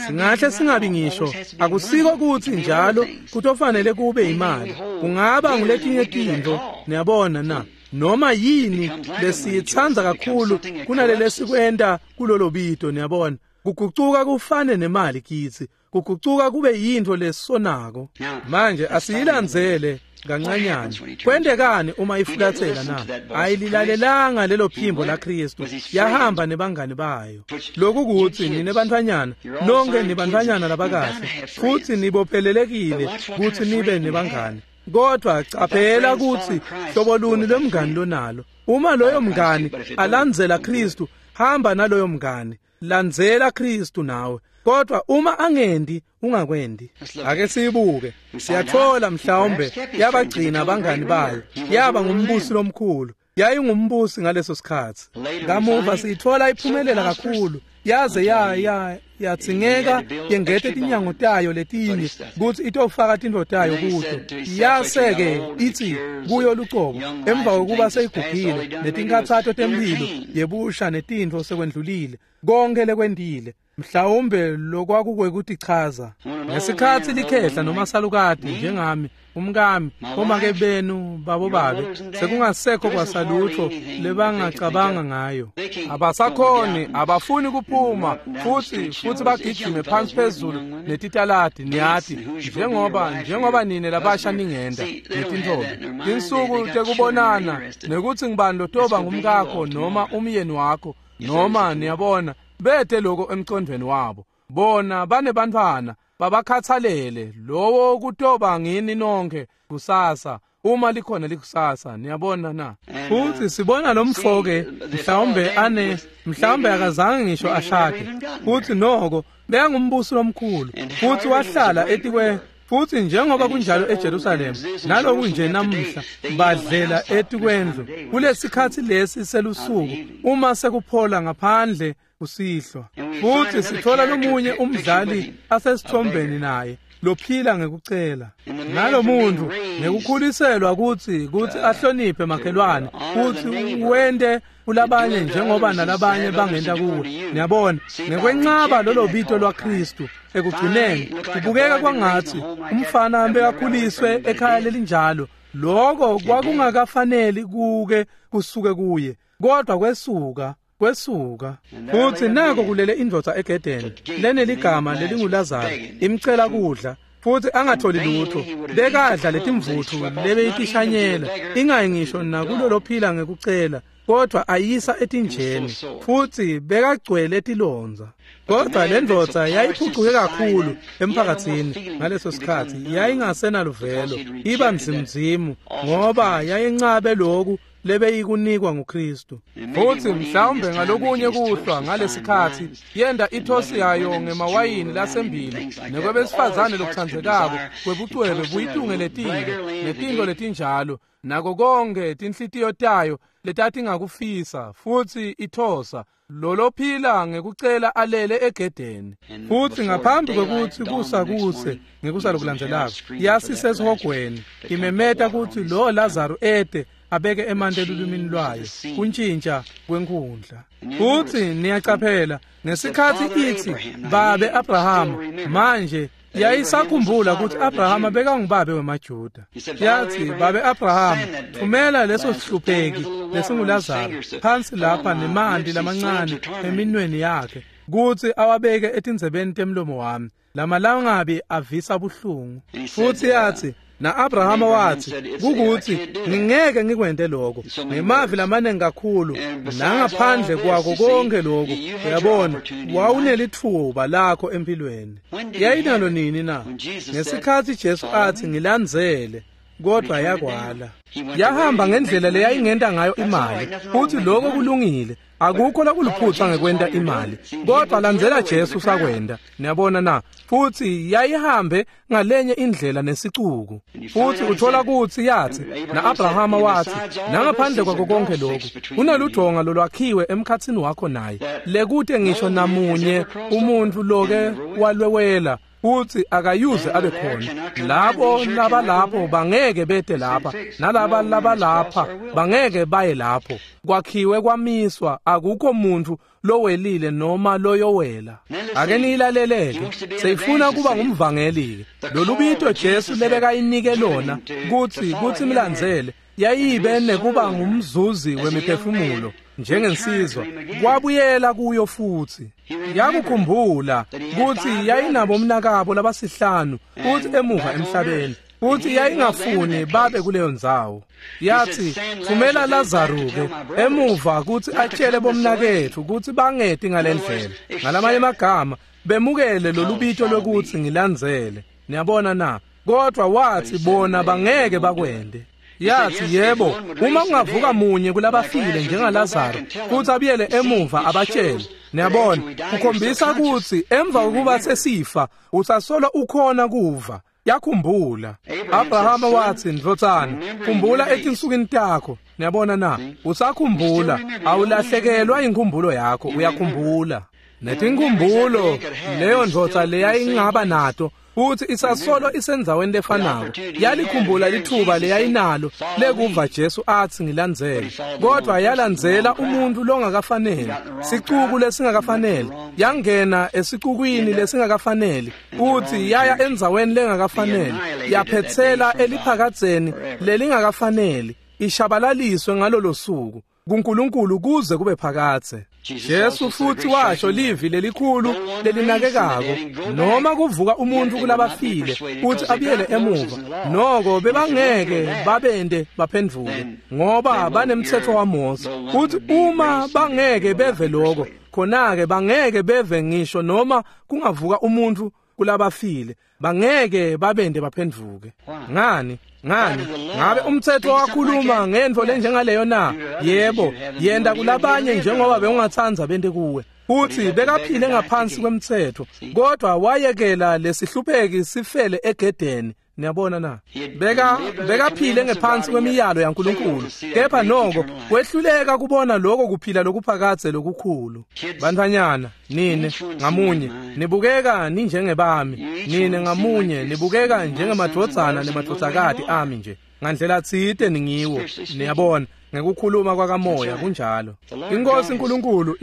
Speaker 1: Singahle singabi ngisho, akusiko kutsi njalo kutofanele kube imali, kungaba nguletinye tintfo, niyabona na, noma yini lesiyitsandza kakhulu kunalele sikwenta kulolo bito, niyabona. Kugucuka kufane nemali kitsi, kugucuka kube yintfo lesonako. Manje asiyilandzele kancanyana. Kwentekani uma ifulatsela na? Ayililalelanga lelo phimbo la Kristu, yahamba nebangani bayo. Lokhu kutsi nine bantfwanyana, nonke nibantfwanyana labakahle, futhi nibophelelekile kutsi nibe nebangani. Kodwa caphela kutsi hlobo luni lwemngani lonalo. Uma loyo mngani alandzela Kristu, hamba naloyo mngani, landzela Kristu nawe. Kodwa uma angendi, ungakwendi. Ake siyibuke. Siyathola mhlawumbe yabagcina abangani bayo, yaba ngumbusi lomkhulu. Yayingumbusi ngaleso sikhatsi. Kamuva siyithola iphumelela kakhulu, yaze ya ya yatsingeka yengete tinyango tayo letinye kutsi itofaka tintfo tayo kuto. Yase-ke itsi kuyo lucobo, emva kokuba seyigugile netinkhatsato temphilo yebusha netintfo sekwendlulile, konke lekwentile, Mhlawumbe lokwakukwekutichaza ngesikhatsi likhehla noma salukati njengami umkami omake benu babobabe sekungasekho kwasalutho lebangacabanga ngayo abasakhoni abafuni kuphuma futhi futhi bagijime phansi phezulu netitaladi niyati njengoba njengoba nine labasha ningenda netintfombi tinsuku tekubonana nekutsi ngibani lotoba ngumkakho noma umyeni wakho noma niyabona bete lokho emcondweni wabo bona banebantfwana babakhathalele lowo kutoba ngini nonke kusasa uma likhona likusasa niyabona na futhi sibona lo mfoke mhlawumbe ane mhlawumbe akazange ngisho ashade futhi noko bekangumbusi lomkhulu futhi wahlala etikwe futhi njengoba kunjalo eJerusalem naloku nje namuhla badlela etikwendlu kulesikhatsi lesi selusuku uma sekuphola ngaphandle kusihlwa futhi sithola lomunye umdlali asesithombeni naye lophila ngekucela nalomuntu ngekukhuliselwa kutsi kutsi ahloniphe makhelwane futhi wente kulabanye njengoba nalabanye bangenta kuwe niyabona ngekwencaba lolo bito lwaKristu ekugcineni kubukeka kwangathi umfana bekakhuliswe ekhaya lelinjalo lokho kwakungakafaneli kuke kusuke kuye kodwa kwesuka kwesuka futhi nako kulele indvodza egedeni leneligama lelinguLazaro imcela kudla futhi angatholi lutho bekadla letimvuthu lebeyitishanyela ingayi ngisho nakulolophila ngekucela kodwa ayisa etinjeni futhi bekagcwele etilondza kodwa le ndvodza yayiphucuke kakhulu emphakathini ngaleso sikhathi yayingasenaluvelo iba mzimzimu ngoba yayincabe loku lebeyikunikwa nguKristu futhi mhlawumbe ngalokunye kuhlwa ngalesikhathi yenda ithosi yayo ngemawayini lasembili nekwebesifazane lokutsandzekako kwebucwebe buyitungeletile netinto letinjalo nako konke tinhlitiyo tayo letatingakufisa futhi ithosa lolophila ngekucela alele egedeni futhi ngaphambi kwekutsi kusa kuse ngekusa lokulandzelako yasisesihogweni imemeta kutsi lo Lazaro ete abeke emanti elulwimini lwayo kuntshintsha kwenkhundla futhi niyacaphela ngesikhatsi ithi babe Abrahama manje yayisakhumbula ukuthi Abrahama bekangubabe wemaJuda yathi babe Abrahama thumela leso sihlupheki lesinguLazaro phansi lapha nemanti lamancane eminweni yakhe kutsi awabeke etindzebeni temlomo wami lamalangabi avisa buhlungu futhi yathi na-Abrahama wathi kukuthi ngingeke ngikwente lokho ngemavi lamaningi kakhulu nangaphandle kwako konke lokho uyabona wawunelithuba lakho empilweni yayinalo nini na ngesikhathi Jesu athi ngilandzele kodwa yakwala yahamba ngendlela leyayingenta ngayo imali futhi lokho kulungile akukho lokuluphutha ngekwenta imali kodwa landzela Jesu sakwenda niyabona na futhi yayihambe ngalenye indlela nesicuku futhi uthola kutsi yathi na-Abrahama wathi nangaphandle kwako konke lokhu kuneludonga lolwakhiwe emkhatsini wakho naye lekute ngisho namunye umuntu loke walwewela futhi akayuze abe khona labo labalapho bangeke bete lapha nalaba labalapha bangeke baye lapho kwakhiwe kwamiswa akukho muntu lowelile noma loyowela ake niyilaleleke seyifuna kuba ngumvangeli lolubito Jesu lebekayinike lona kutsi kutsi milandzele yayibe nekuba ngumzuzi wemiphefumulo njengensizwa kwabuyela kuyo futhi yakukhumbula kutsi yayinabo umnakabo labasihlanu futhi emuva emhlabeni futhi yayingafuni babe kuleyo ndzawo yathi thumela Lazaro-ke emuva kutsi atshele bomnaketfu kutsi bangeti ngalendlela ngalamanye amagama bemukele lolubito lwekutsi ngilandzele niyabona na kodwa wathi bona bangeke bakwente yathi yebo uma kungavuka munye kulabafile njengaLazaro futhi abuyele emuva abatshele niyabona kukhombisa kutsi emva kokuba sesifa usasolo ukhona kuva yakhumbula Abrahama wathi ndvodzana khumbula etinsukwini takho niyabona na usakhumbula awulahlekelwa inkhumbulo yakho uyakhumbula Netinkumbulo leyo ndvodza leyayingaba nato futhi isasolo isendzaweni lefanako. Yalikhumbula lithuba leyayinalo lekuva Jesu athi ngilandzele, kodwa yalandzela umuntu longakafanele, sicuku lesingakafanele, yangena esicukwini lesingakafanele, futhi yaya endzaweni lengakafanele, yaphetsela eliphakadzeni lelingakafanele, ishabalaliswe ngalolo suku kuNkulunkulu kuze kube phakadze. Jesu futhi washo livi lelikhulu lelinakekako, noma kuvuka umuntu kulabafile futhi abuyele emuva, noko bebangeke babende baphendvuke ngoba banemtsetfo waMose. Futhi uma bangeke beve lokho, khona-ke bangeke beve ngisho noma kungavuka umuntu kulabafile, bangeke babende baphendvuke. Ngani? Ngani? Ngabe umthetho wakhuluma ngentfo lenjengaleyo na? Yebo, yenda kulabanye njengoba bewungatsandza bente kuwe. Futhi bekaphile ngaphansi kwemthetho, kodwa wayekela lesihlupheki sifele egedeni. Niyabona na? Beka bekaphile ngephansi kwemiyalo yaNkulunkulu, kepha noko wehluleka kubona lokho kuphila lokuphakadze lokukhulu. Bantfwanyana, nine ngamunye nibukeka ninjengebami, nine ngamunye nibukeka njengemadvodzana nemadvodzakati ami nje. Ngandlela tsite ningiwo, niyabona, ngekukhuluma kwakamoya kunjalo. Inkosi uNkulunkulu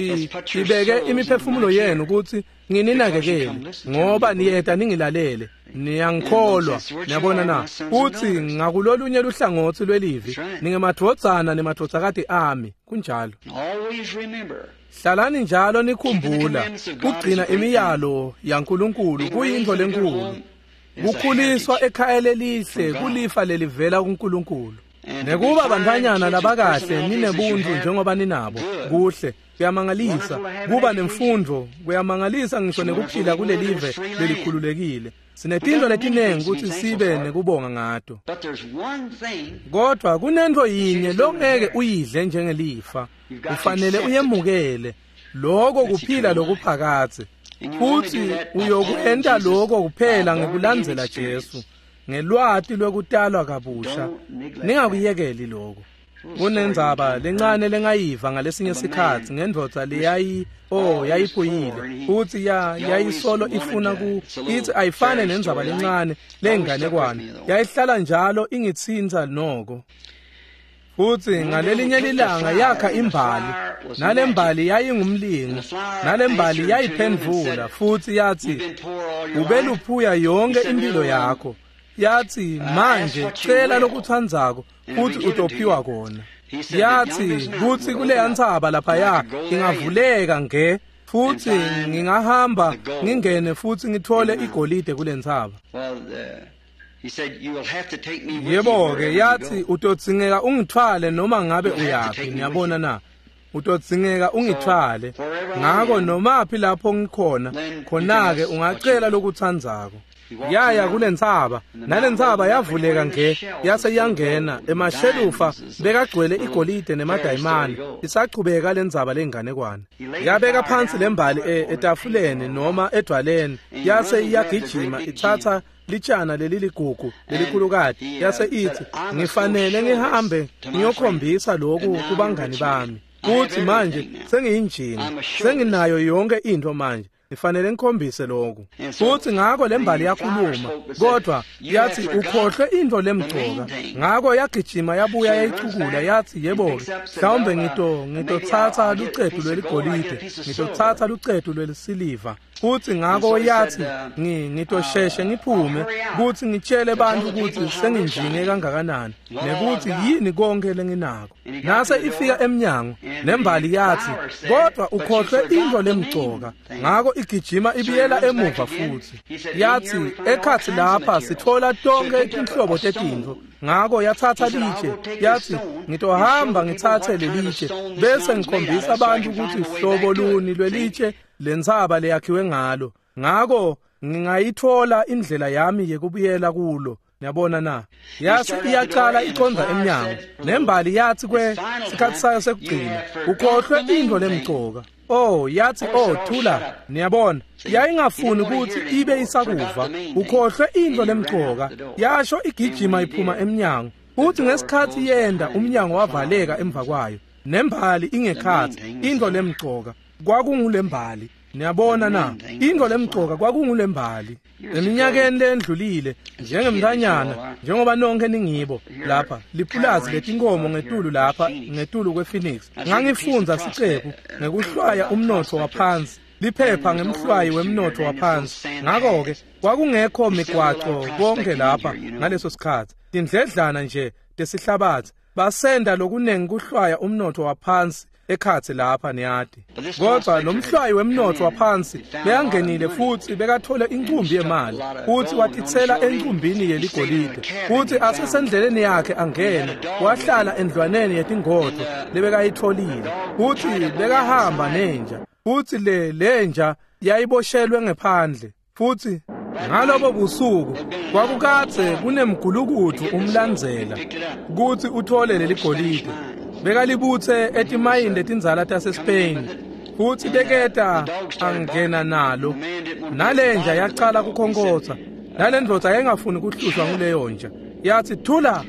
Speaker 1: ibeke imiphefumulo yenu ukuthi ngininakekele, ngoba niyeta ningilalele, niyangikholwa. Niyabona na? Futhi ngakulolunye luhlangotsi lwelivi ningemadvodzana nemadvodzakati ami, kunjalo. Hlalani njalo nikhumbula kugcina imiyalo yaNkulunkulu kuyintfo lenkulu. Kukhuliswa ekhaya lelihle kulifa lelivela kuNkulunkulu. Nekuba bantfwanyana labakahle ninebuntu njengoba ninabo, kuhle kuyamangalisa. Kuba nemfundvo kuyamangalisa, ngisho nekuphila kulelive lelikhululekile. Sinetintfo letinengi kutsi sibe nekubonga ngato, kodwa kunentfo yinye longeke uyidle njengelifa, ufanele uyemukele, lokho kuphila lokuphakadze. Futhi uyokwenta lokho kuphela ngekulandzela Jesu ngelwati lwekutalwa kabusha. Ningakuyekeli lokho. Kunendzaba lencane lengayiva ngalesinye sikhatsi ngendvodza leyayi oh yayiphuyile, futhi ya yayisolo ifuna ku ithi ayifane nendzaba lencane lenganekwane, yayihlala njalo ingitsintsa noko. Futhi ngalelinye lilanga yakha imbali, nalembali yayingumlingo, nalembali yayiphendvula futhi yathi, ubeluphuya yonke impilo yakho. Yathi, manje cela lokutsandzako futhi utophiwa kona. Yathi kutsi kuleya ntsaba laphaya ingavuleka nge futhi ngingahamba ngingene futhi ngithole igolide kule ntsaba. Yebo-ke, yathi utodzingeka ungithwale noma ngabe uyaphi. Niyabona na? Utodzingeka ungithwale. Ngako nomaphi lapho ngikhona, khona-ke ungacela lokutsandzako. Yaya kule ntsaba, nale ntsaba yavuleka nge yase iyangena emashelufa bekagcwele igolide nemadayimane. Isachubeka lendzaba lenganekwane. Yabeka phansi lembali etafuleni noma edwaleni, yase iyagijima itsatsa litshana leliligugu lelikhulukati, yase ithi, ngifanele ngihambe ngiyokhombisa lokhu kubangani bami. Kuthi manje sengiyinjinga, senginayo yonke into manje, ngifanele ngikhombise lokhu. Futhi ngako lembali yakhuluma, kodwa yathi ukhohlwe into lemgcoka. Ngako yagijima yabuya yayicukula, yathi, yebo-ke, mhlawumbe ngito ngitotsatsa lucetu lweligolide, ngitotsatsa lucetu lwelisiliva. Futhi ngako yathi, ngitosheshe ngiphume kuthi ngitshele bantu ukuthi senginjinge kangakanani nekuthi yini konke lenginako. Nase ifika emnyango, nembali yathi, kodwa ukhohlwe into lemgcoka. Ngako igijima ibiyela emuva futhi. Yathi, ekhathi lapha sithola tonke inhlobo tetintfo. Ngako yatsatsa litshe, yathi, ngitohamba ngitsatse lelitshe bese ngikhombisa abantu ukuthi hlobo luni lwelitshe lentsaba leyakhiwe ngalo. Ngako ngingayithola indlela yami yekubuyela kulo. Niyabona na? Yase iyacala icondza emnyango, nembali yathi kwe sikhatsi sayo sekugcina, ukhohlwe into lemgcoka. Oh, yathi, oh thula. Niyabona, yayingafuni ukuthi ibe isakuva. Ukhohlwe into lemgcoka. Yasho igijima iphuma emnyango. Uthi ngesikhatsi yenda umnyango wavaleka emva kwayo, nembali ingekhatsi, into lemgcoka kwakungulembali. Niyabona na, intfo lemcoka kwakungulembali. Eminyakeni lendlulile, njengemntanyana, njengoba nonke ningibo lapha, lipulazi letinkomo ngetulu lapha, ngetulu kwePhoenix. Ngangifundza siceku ngekuhlwaya umnotfo waphansi, liphepha ngemhlwayi wemnotfo waphansi. Ngako-ke kwakungekho migwaco konke lapha ngaleso sikhatsi, tindledlana nje tesihlabatsi. Basenda lokunengi kuhlwaya umnotfo waphansi ekhatsi lapha, niyati. Kodwa lo mhlwayi wemnotfo waphansi bekangenile futsi bekathole incumbi yemali, futsi watitsela encumbini yeligolide, futsi asesendleleni yakhe angena, wahlala endlwaneni yetingodvo lebekayitfolile, futsi bekahamba nenja, futsi le lenja yayiboshelwe ngephandle. Futsi ngalobo busuku kwakukadze kunemgulukudu umlandzela kutsi uthole leligolide. Bekalibutse etimayini letindzala taseSpain, futsi beketa angena nalo. Nalenja yacala kukhonkotsa, nalendvodza yayingafuni kuhlushwa nguleyo nja. Yathi, "Thula!"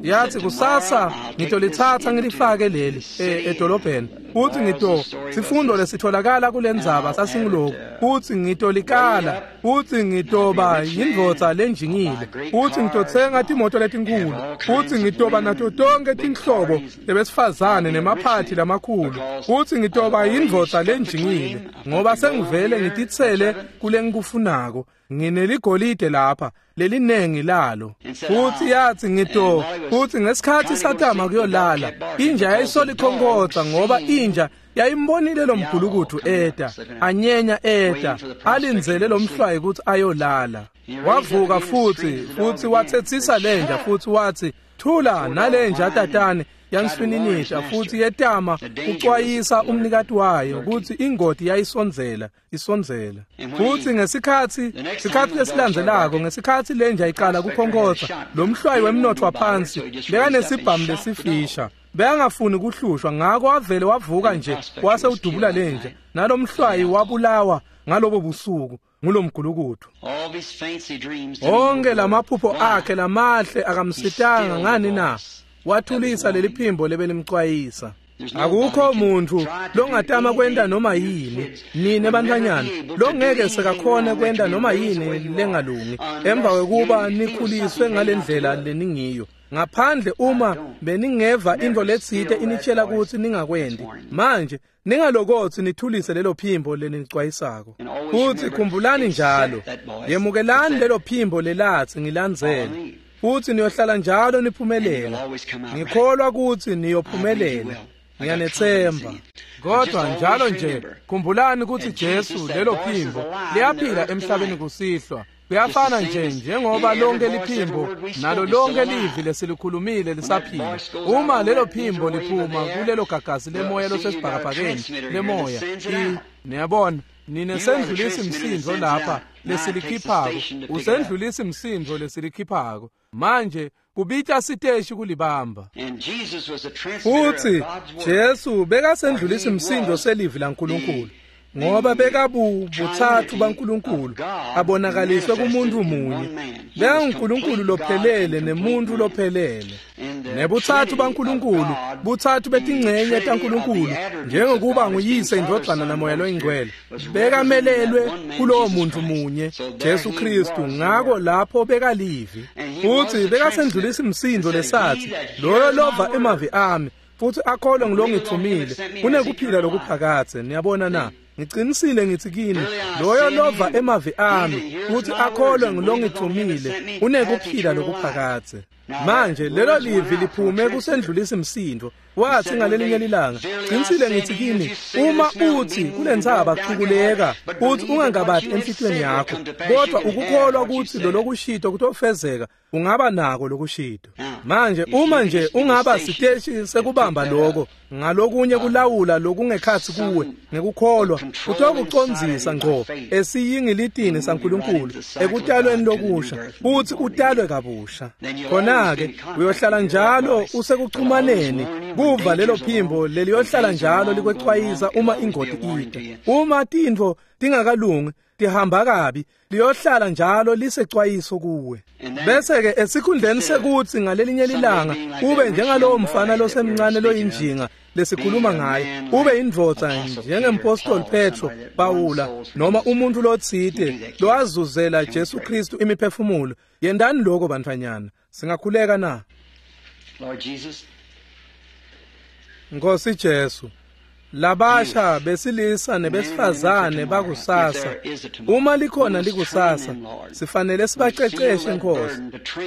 Speaker 1: Yathi, "Kusasa ngitolitsatsa ngilifake leli edolobheni, futsi ngito sifundo lesitholakala kulendzaba sasinguloku, futsi ngitolikala, futsi ngitoba yindvodza lenjingile, futsi ngitotsenga timoto letinkulu, futsi ngitoba nato tonke tinhlobo lebesifazane nemaphathi lamakhulu, futsi ngitoba yindvodza lenjingile, ngoba sengivele ngititsele kulengikufunako. Ngineligolide lapha lelinengi lalo." Futsi yathi, ngito futsi ngesikhatsi satama kuyolala, inja yayisolikhonkotsa, ngoba inja yayimbonile lo mgulukudu eta anyenya eta alindzele lo mhlwayi kutsi ayolala. Wavuka futsi futsi watsetsisa lenja futsi watsi, "Thula!" Nalenja tatane yanswininisha futsi yetama kucwayisa umnikati wayo kutsi ingoti yayisondzela isondzela. Futsi ngesikhatsi sikhatsi lesilandzelako, ngesikhatsi lenja iqala kukhonkotsa, lo mhlwayi wemnotfo waphansi bekanesibhamu lesifisha, bekangafuni kuhlushwa, ngako wavele wavuka nje wase udubula lenja, nalomhlwayi wabulawa ngalobo busuku ngulomgulukudu. Onke lamaphupho akhe lamahle akamsitanga ngani na? Wathulisa leli phimbo lebelimcwayisa. Akukho muntu longatama kwenta noma yini, nine bantfwanyana, longeke sekakhone kwenta noma yini lengalungi emva kwekuba nikhuliswe ngalendlela leningiyo, ngaphandle uma beningeva intfo letsite initshela kutsi ningakwenti. Manje ningalokotsi nithulise lelo phimbo leninicwayisako. Futsi khumbulani njalo, yemukelani lelo phimbo lelatsi ngilandzele, futsi niyohlala njalo niphumelela. Ngikholwa kutsi niyophumelela, ngiyanetsemba. Kodwa njalo nje khumbulani kutsi Jesu, lelo phimbo liyaphila emhlabeni kusihlwa. Kuyafana nje njengoba lonke liphimbo nalo lonke livi lesilikhulumile lisaphila. Uma lelo phimbo liphuma kulelo gagasi lemoya losesibhakabhakeni lemoya, niyabona, nine sendlulisa imsindvo lapha lesilikhiphako, usendlulisa imsindvo lesilikhiphako. Manje kubita siteshi kulibamba. Futsi Jesu bekasendlulisa imsindvo selivi laNkulunkulu, ngoba bekabu butsatfu baNkulunkulu abonakaliswe kumuntu munye. BekanguNkulunkulu lophelele nemuntu lophelele. Nebutsatfu baNkulunkulu, butsatfu betingcenye taNkulunkulu, njengokuba nguyise, indvodzana namoya loyingcwele, bekamelelwe kulowo muntu munye, Jesu Kristu. Ngako lapho bekalivi, futsi bekasendlulisa imsindvo lesatsi, "Loyo lova emavi ami futsi akholwe ngilongitfumile unekuphila lokuphakadze." Niyabona na? Ngicinisile ngitsi kini, loyo lova emavi ami futsi akholwe ngilongitfumile unekuphila lokuphakadze. Manje lelo livi liphume kusendlulisa imsindvo. Wathi ngalelinye lilanga, "Qinisile ngithi kini, uma uthi kulentsaba chukuleka, uthi ungangabati enhlitiyweni yakho, kodwa ukukholwa ukuthi lo lokushito kutofezeka, ungaba nako lokushito." Manje uma nje ungaba siteshi sekubamba lokho ngalokunye kulawula lokungekhatsi kuwe ngekukholwa, kutokucondzisa ngco esiyingilitini saNkulunkulu ekutalweni lokusha, futhi utalwe kabusha. Khona-ke uyohlala njalo usekuxhumaneni kuva lelo phimbo leliyohlala njalo likwecwayisa uma ingoti ita. Uma tintfo tingakalungi, tihamba kabi liyohlala njalo lisecwayiso kuwe. Bese-ke esikhundleni sekuthi ngalelinye lilanga ube njengalowo mfana losemncane loyinjinga lesikhuluma ngaye, ube indvodza njengempostoli Petro, Pawula noma umuntu lotsite lowazuzela Jesu Kristu imiphefumulo. Yendani lokho bantfwanyana. Singakhuleka na?
Speaker 2: Lord Jesus,
Speaker 1: Nkosi Jesu, labasha besilisa nebesifazane bakusasa, uma likhona likusasa, sifanele sibaceceshe Nkosi.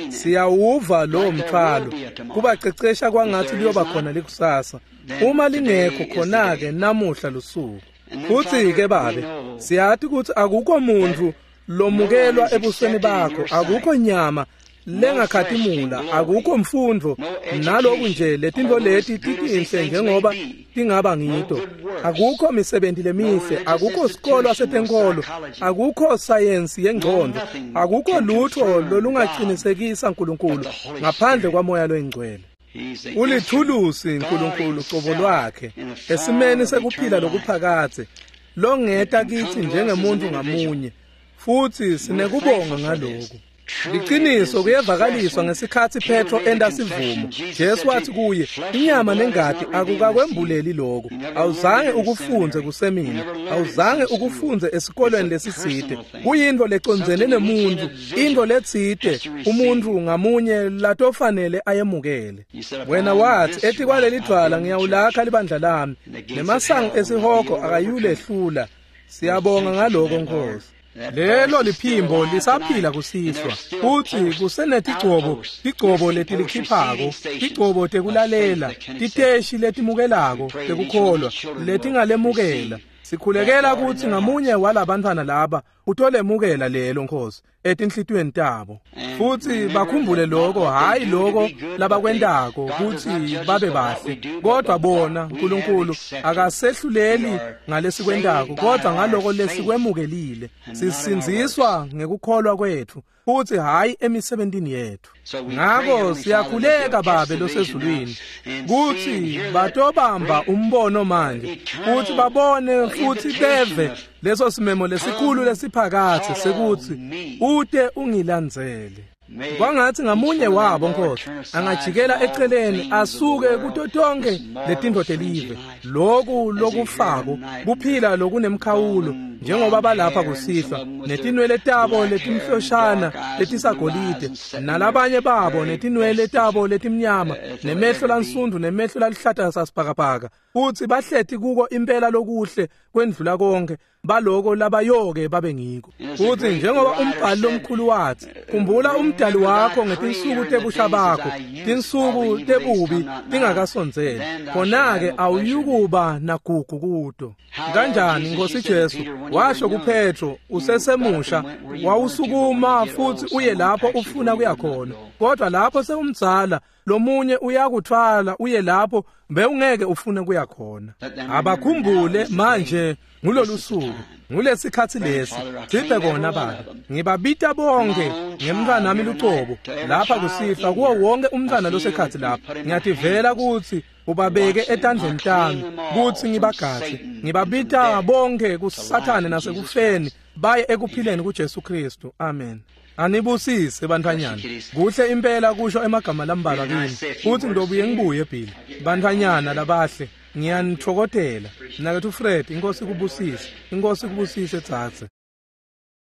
Speaker 1: Siyawuva lowo mthwalo, kubacecesha kwangathi liyoba khona likusasa. Uma lingekho khona-ke namuhla lusuku. Futhi-ke Babe, siyati ukuthi akukho muntu lomukelwa ebusweni bakho, akukho nyama lengakhatimula, akukho mfundo, naloku nje letinto leti titinhle njengoba tingaba ngito, akukho misebenti lemihle, akukho sikolwa setenkolo, akukho sayensi yengcondo, akukho lutho lolungaqinisekisa uNkulunkulu ngaphandle kwaMoya loyingcwele. Ulithulusi uNkulunkulu cobo lwakhe esimeni sekuphila lokuphakadze longeta kithi njengemuntu ngamunye, futhi sinekubonga ngalokhu. Liqiniso kuyevakaliswa ngesikhatsi Petro enda sivumo. Jesu wathi kuye, inyama nengati akukakwembuleli lokho. Awuzange ukufunze kusemina, awuzange ukufunze esikolweni lesitsite. Kuyinto lecondzene nemuntu, into letsite umuntu ngamunye latofanele ayemukele. Wena wathi, etikwaleli dvwala ngiyawulakha libandla lami, nemasango esihogo akayulehlula. Siyabonga ngaloko Nkosi. Lelo liphimbo lisaphila kusihlwa, futhi kusenetigcobo, tigcobo letilikhiphako, tigcobo tekulalela, titeshi letimukelako tekukholwa letingalemukela. Sikhulekela ukuthi ngamunye walabantwana laba utolemukela lelo Nkosi etinhlitiyweni tabo, futhi bakhumbule lokho, hayi lokho labakwentako ukuthi babe bahle, kodwa bona uNkulunkulu akasehluleli ngalesikwentako, kodwa ngaloko lesikwemukelile. Sisindziswa ngekukholwa kwethu futhi hayi emisebentini yethu. Ngakho siyakhuleka Babe losezulwini kuthi batobamba umbono manje, futhi babone futhi beve leso simemo lesikhulu lesiphakathe sekuthi ute ungilandzele. Kwangathi ngamunye wabo Nkosi angajikela eceleni asuke kuto tonke letinto telive, loku lokufako kuphila lokunemkhawulo, njengoba balapha kusihlwa netinwele tabo letimhloshana letisagolide, nalabanye babo netinwele tabo letimnyama, nemehlo lansundu nemehlo laluhlata sasibhakabhaka, futhi bahleti kuko impela lokuhle kwendlula konke baloko labayoke babe ngiko. Futhi njengoba umbhali lomkhulu wathi, khumbula umdali wakho ngetinsuku tebusha bakho, tinsuku tebubi tingakasondzeli, khona-ke awuyukuba nagugu kuto. Kanjani Nkosi Jesu washo kuPetro usesemusha, wawusukuma futhi uye lapho ufuna kuya khona, kodwa lapho sewumdzala lomunye uyakuthwala uye lapho bewungeke ufune kuya khona. Abakhumbule manje ngulolu suku, ngulesikhatsi lesi. Siphe kona Baba, ngibabita bonke ngemntwanami lucobo lapha kusihlwa, kuwo wonke umntwana losekhatsi lapha. Ngiyativela ukuthi ubabeke etandleni tami kuthi ngibagadze. Ngibabita bonke kuSathane nasekufeni baye ekuphileni kuJesu Kristu. Amen. Anibusise bantfwanyana. Kuhle impela kusho emagama lambalwa kini, futhi ngidobuye ngibuye Bill. Bantfwanyana labahle, ngiyanithokotela. Mnaketfu Fred, inkosi kubusise. Inkosi kubusise tsatse.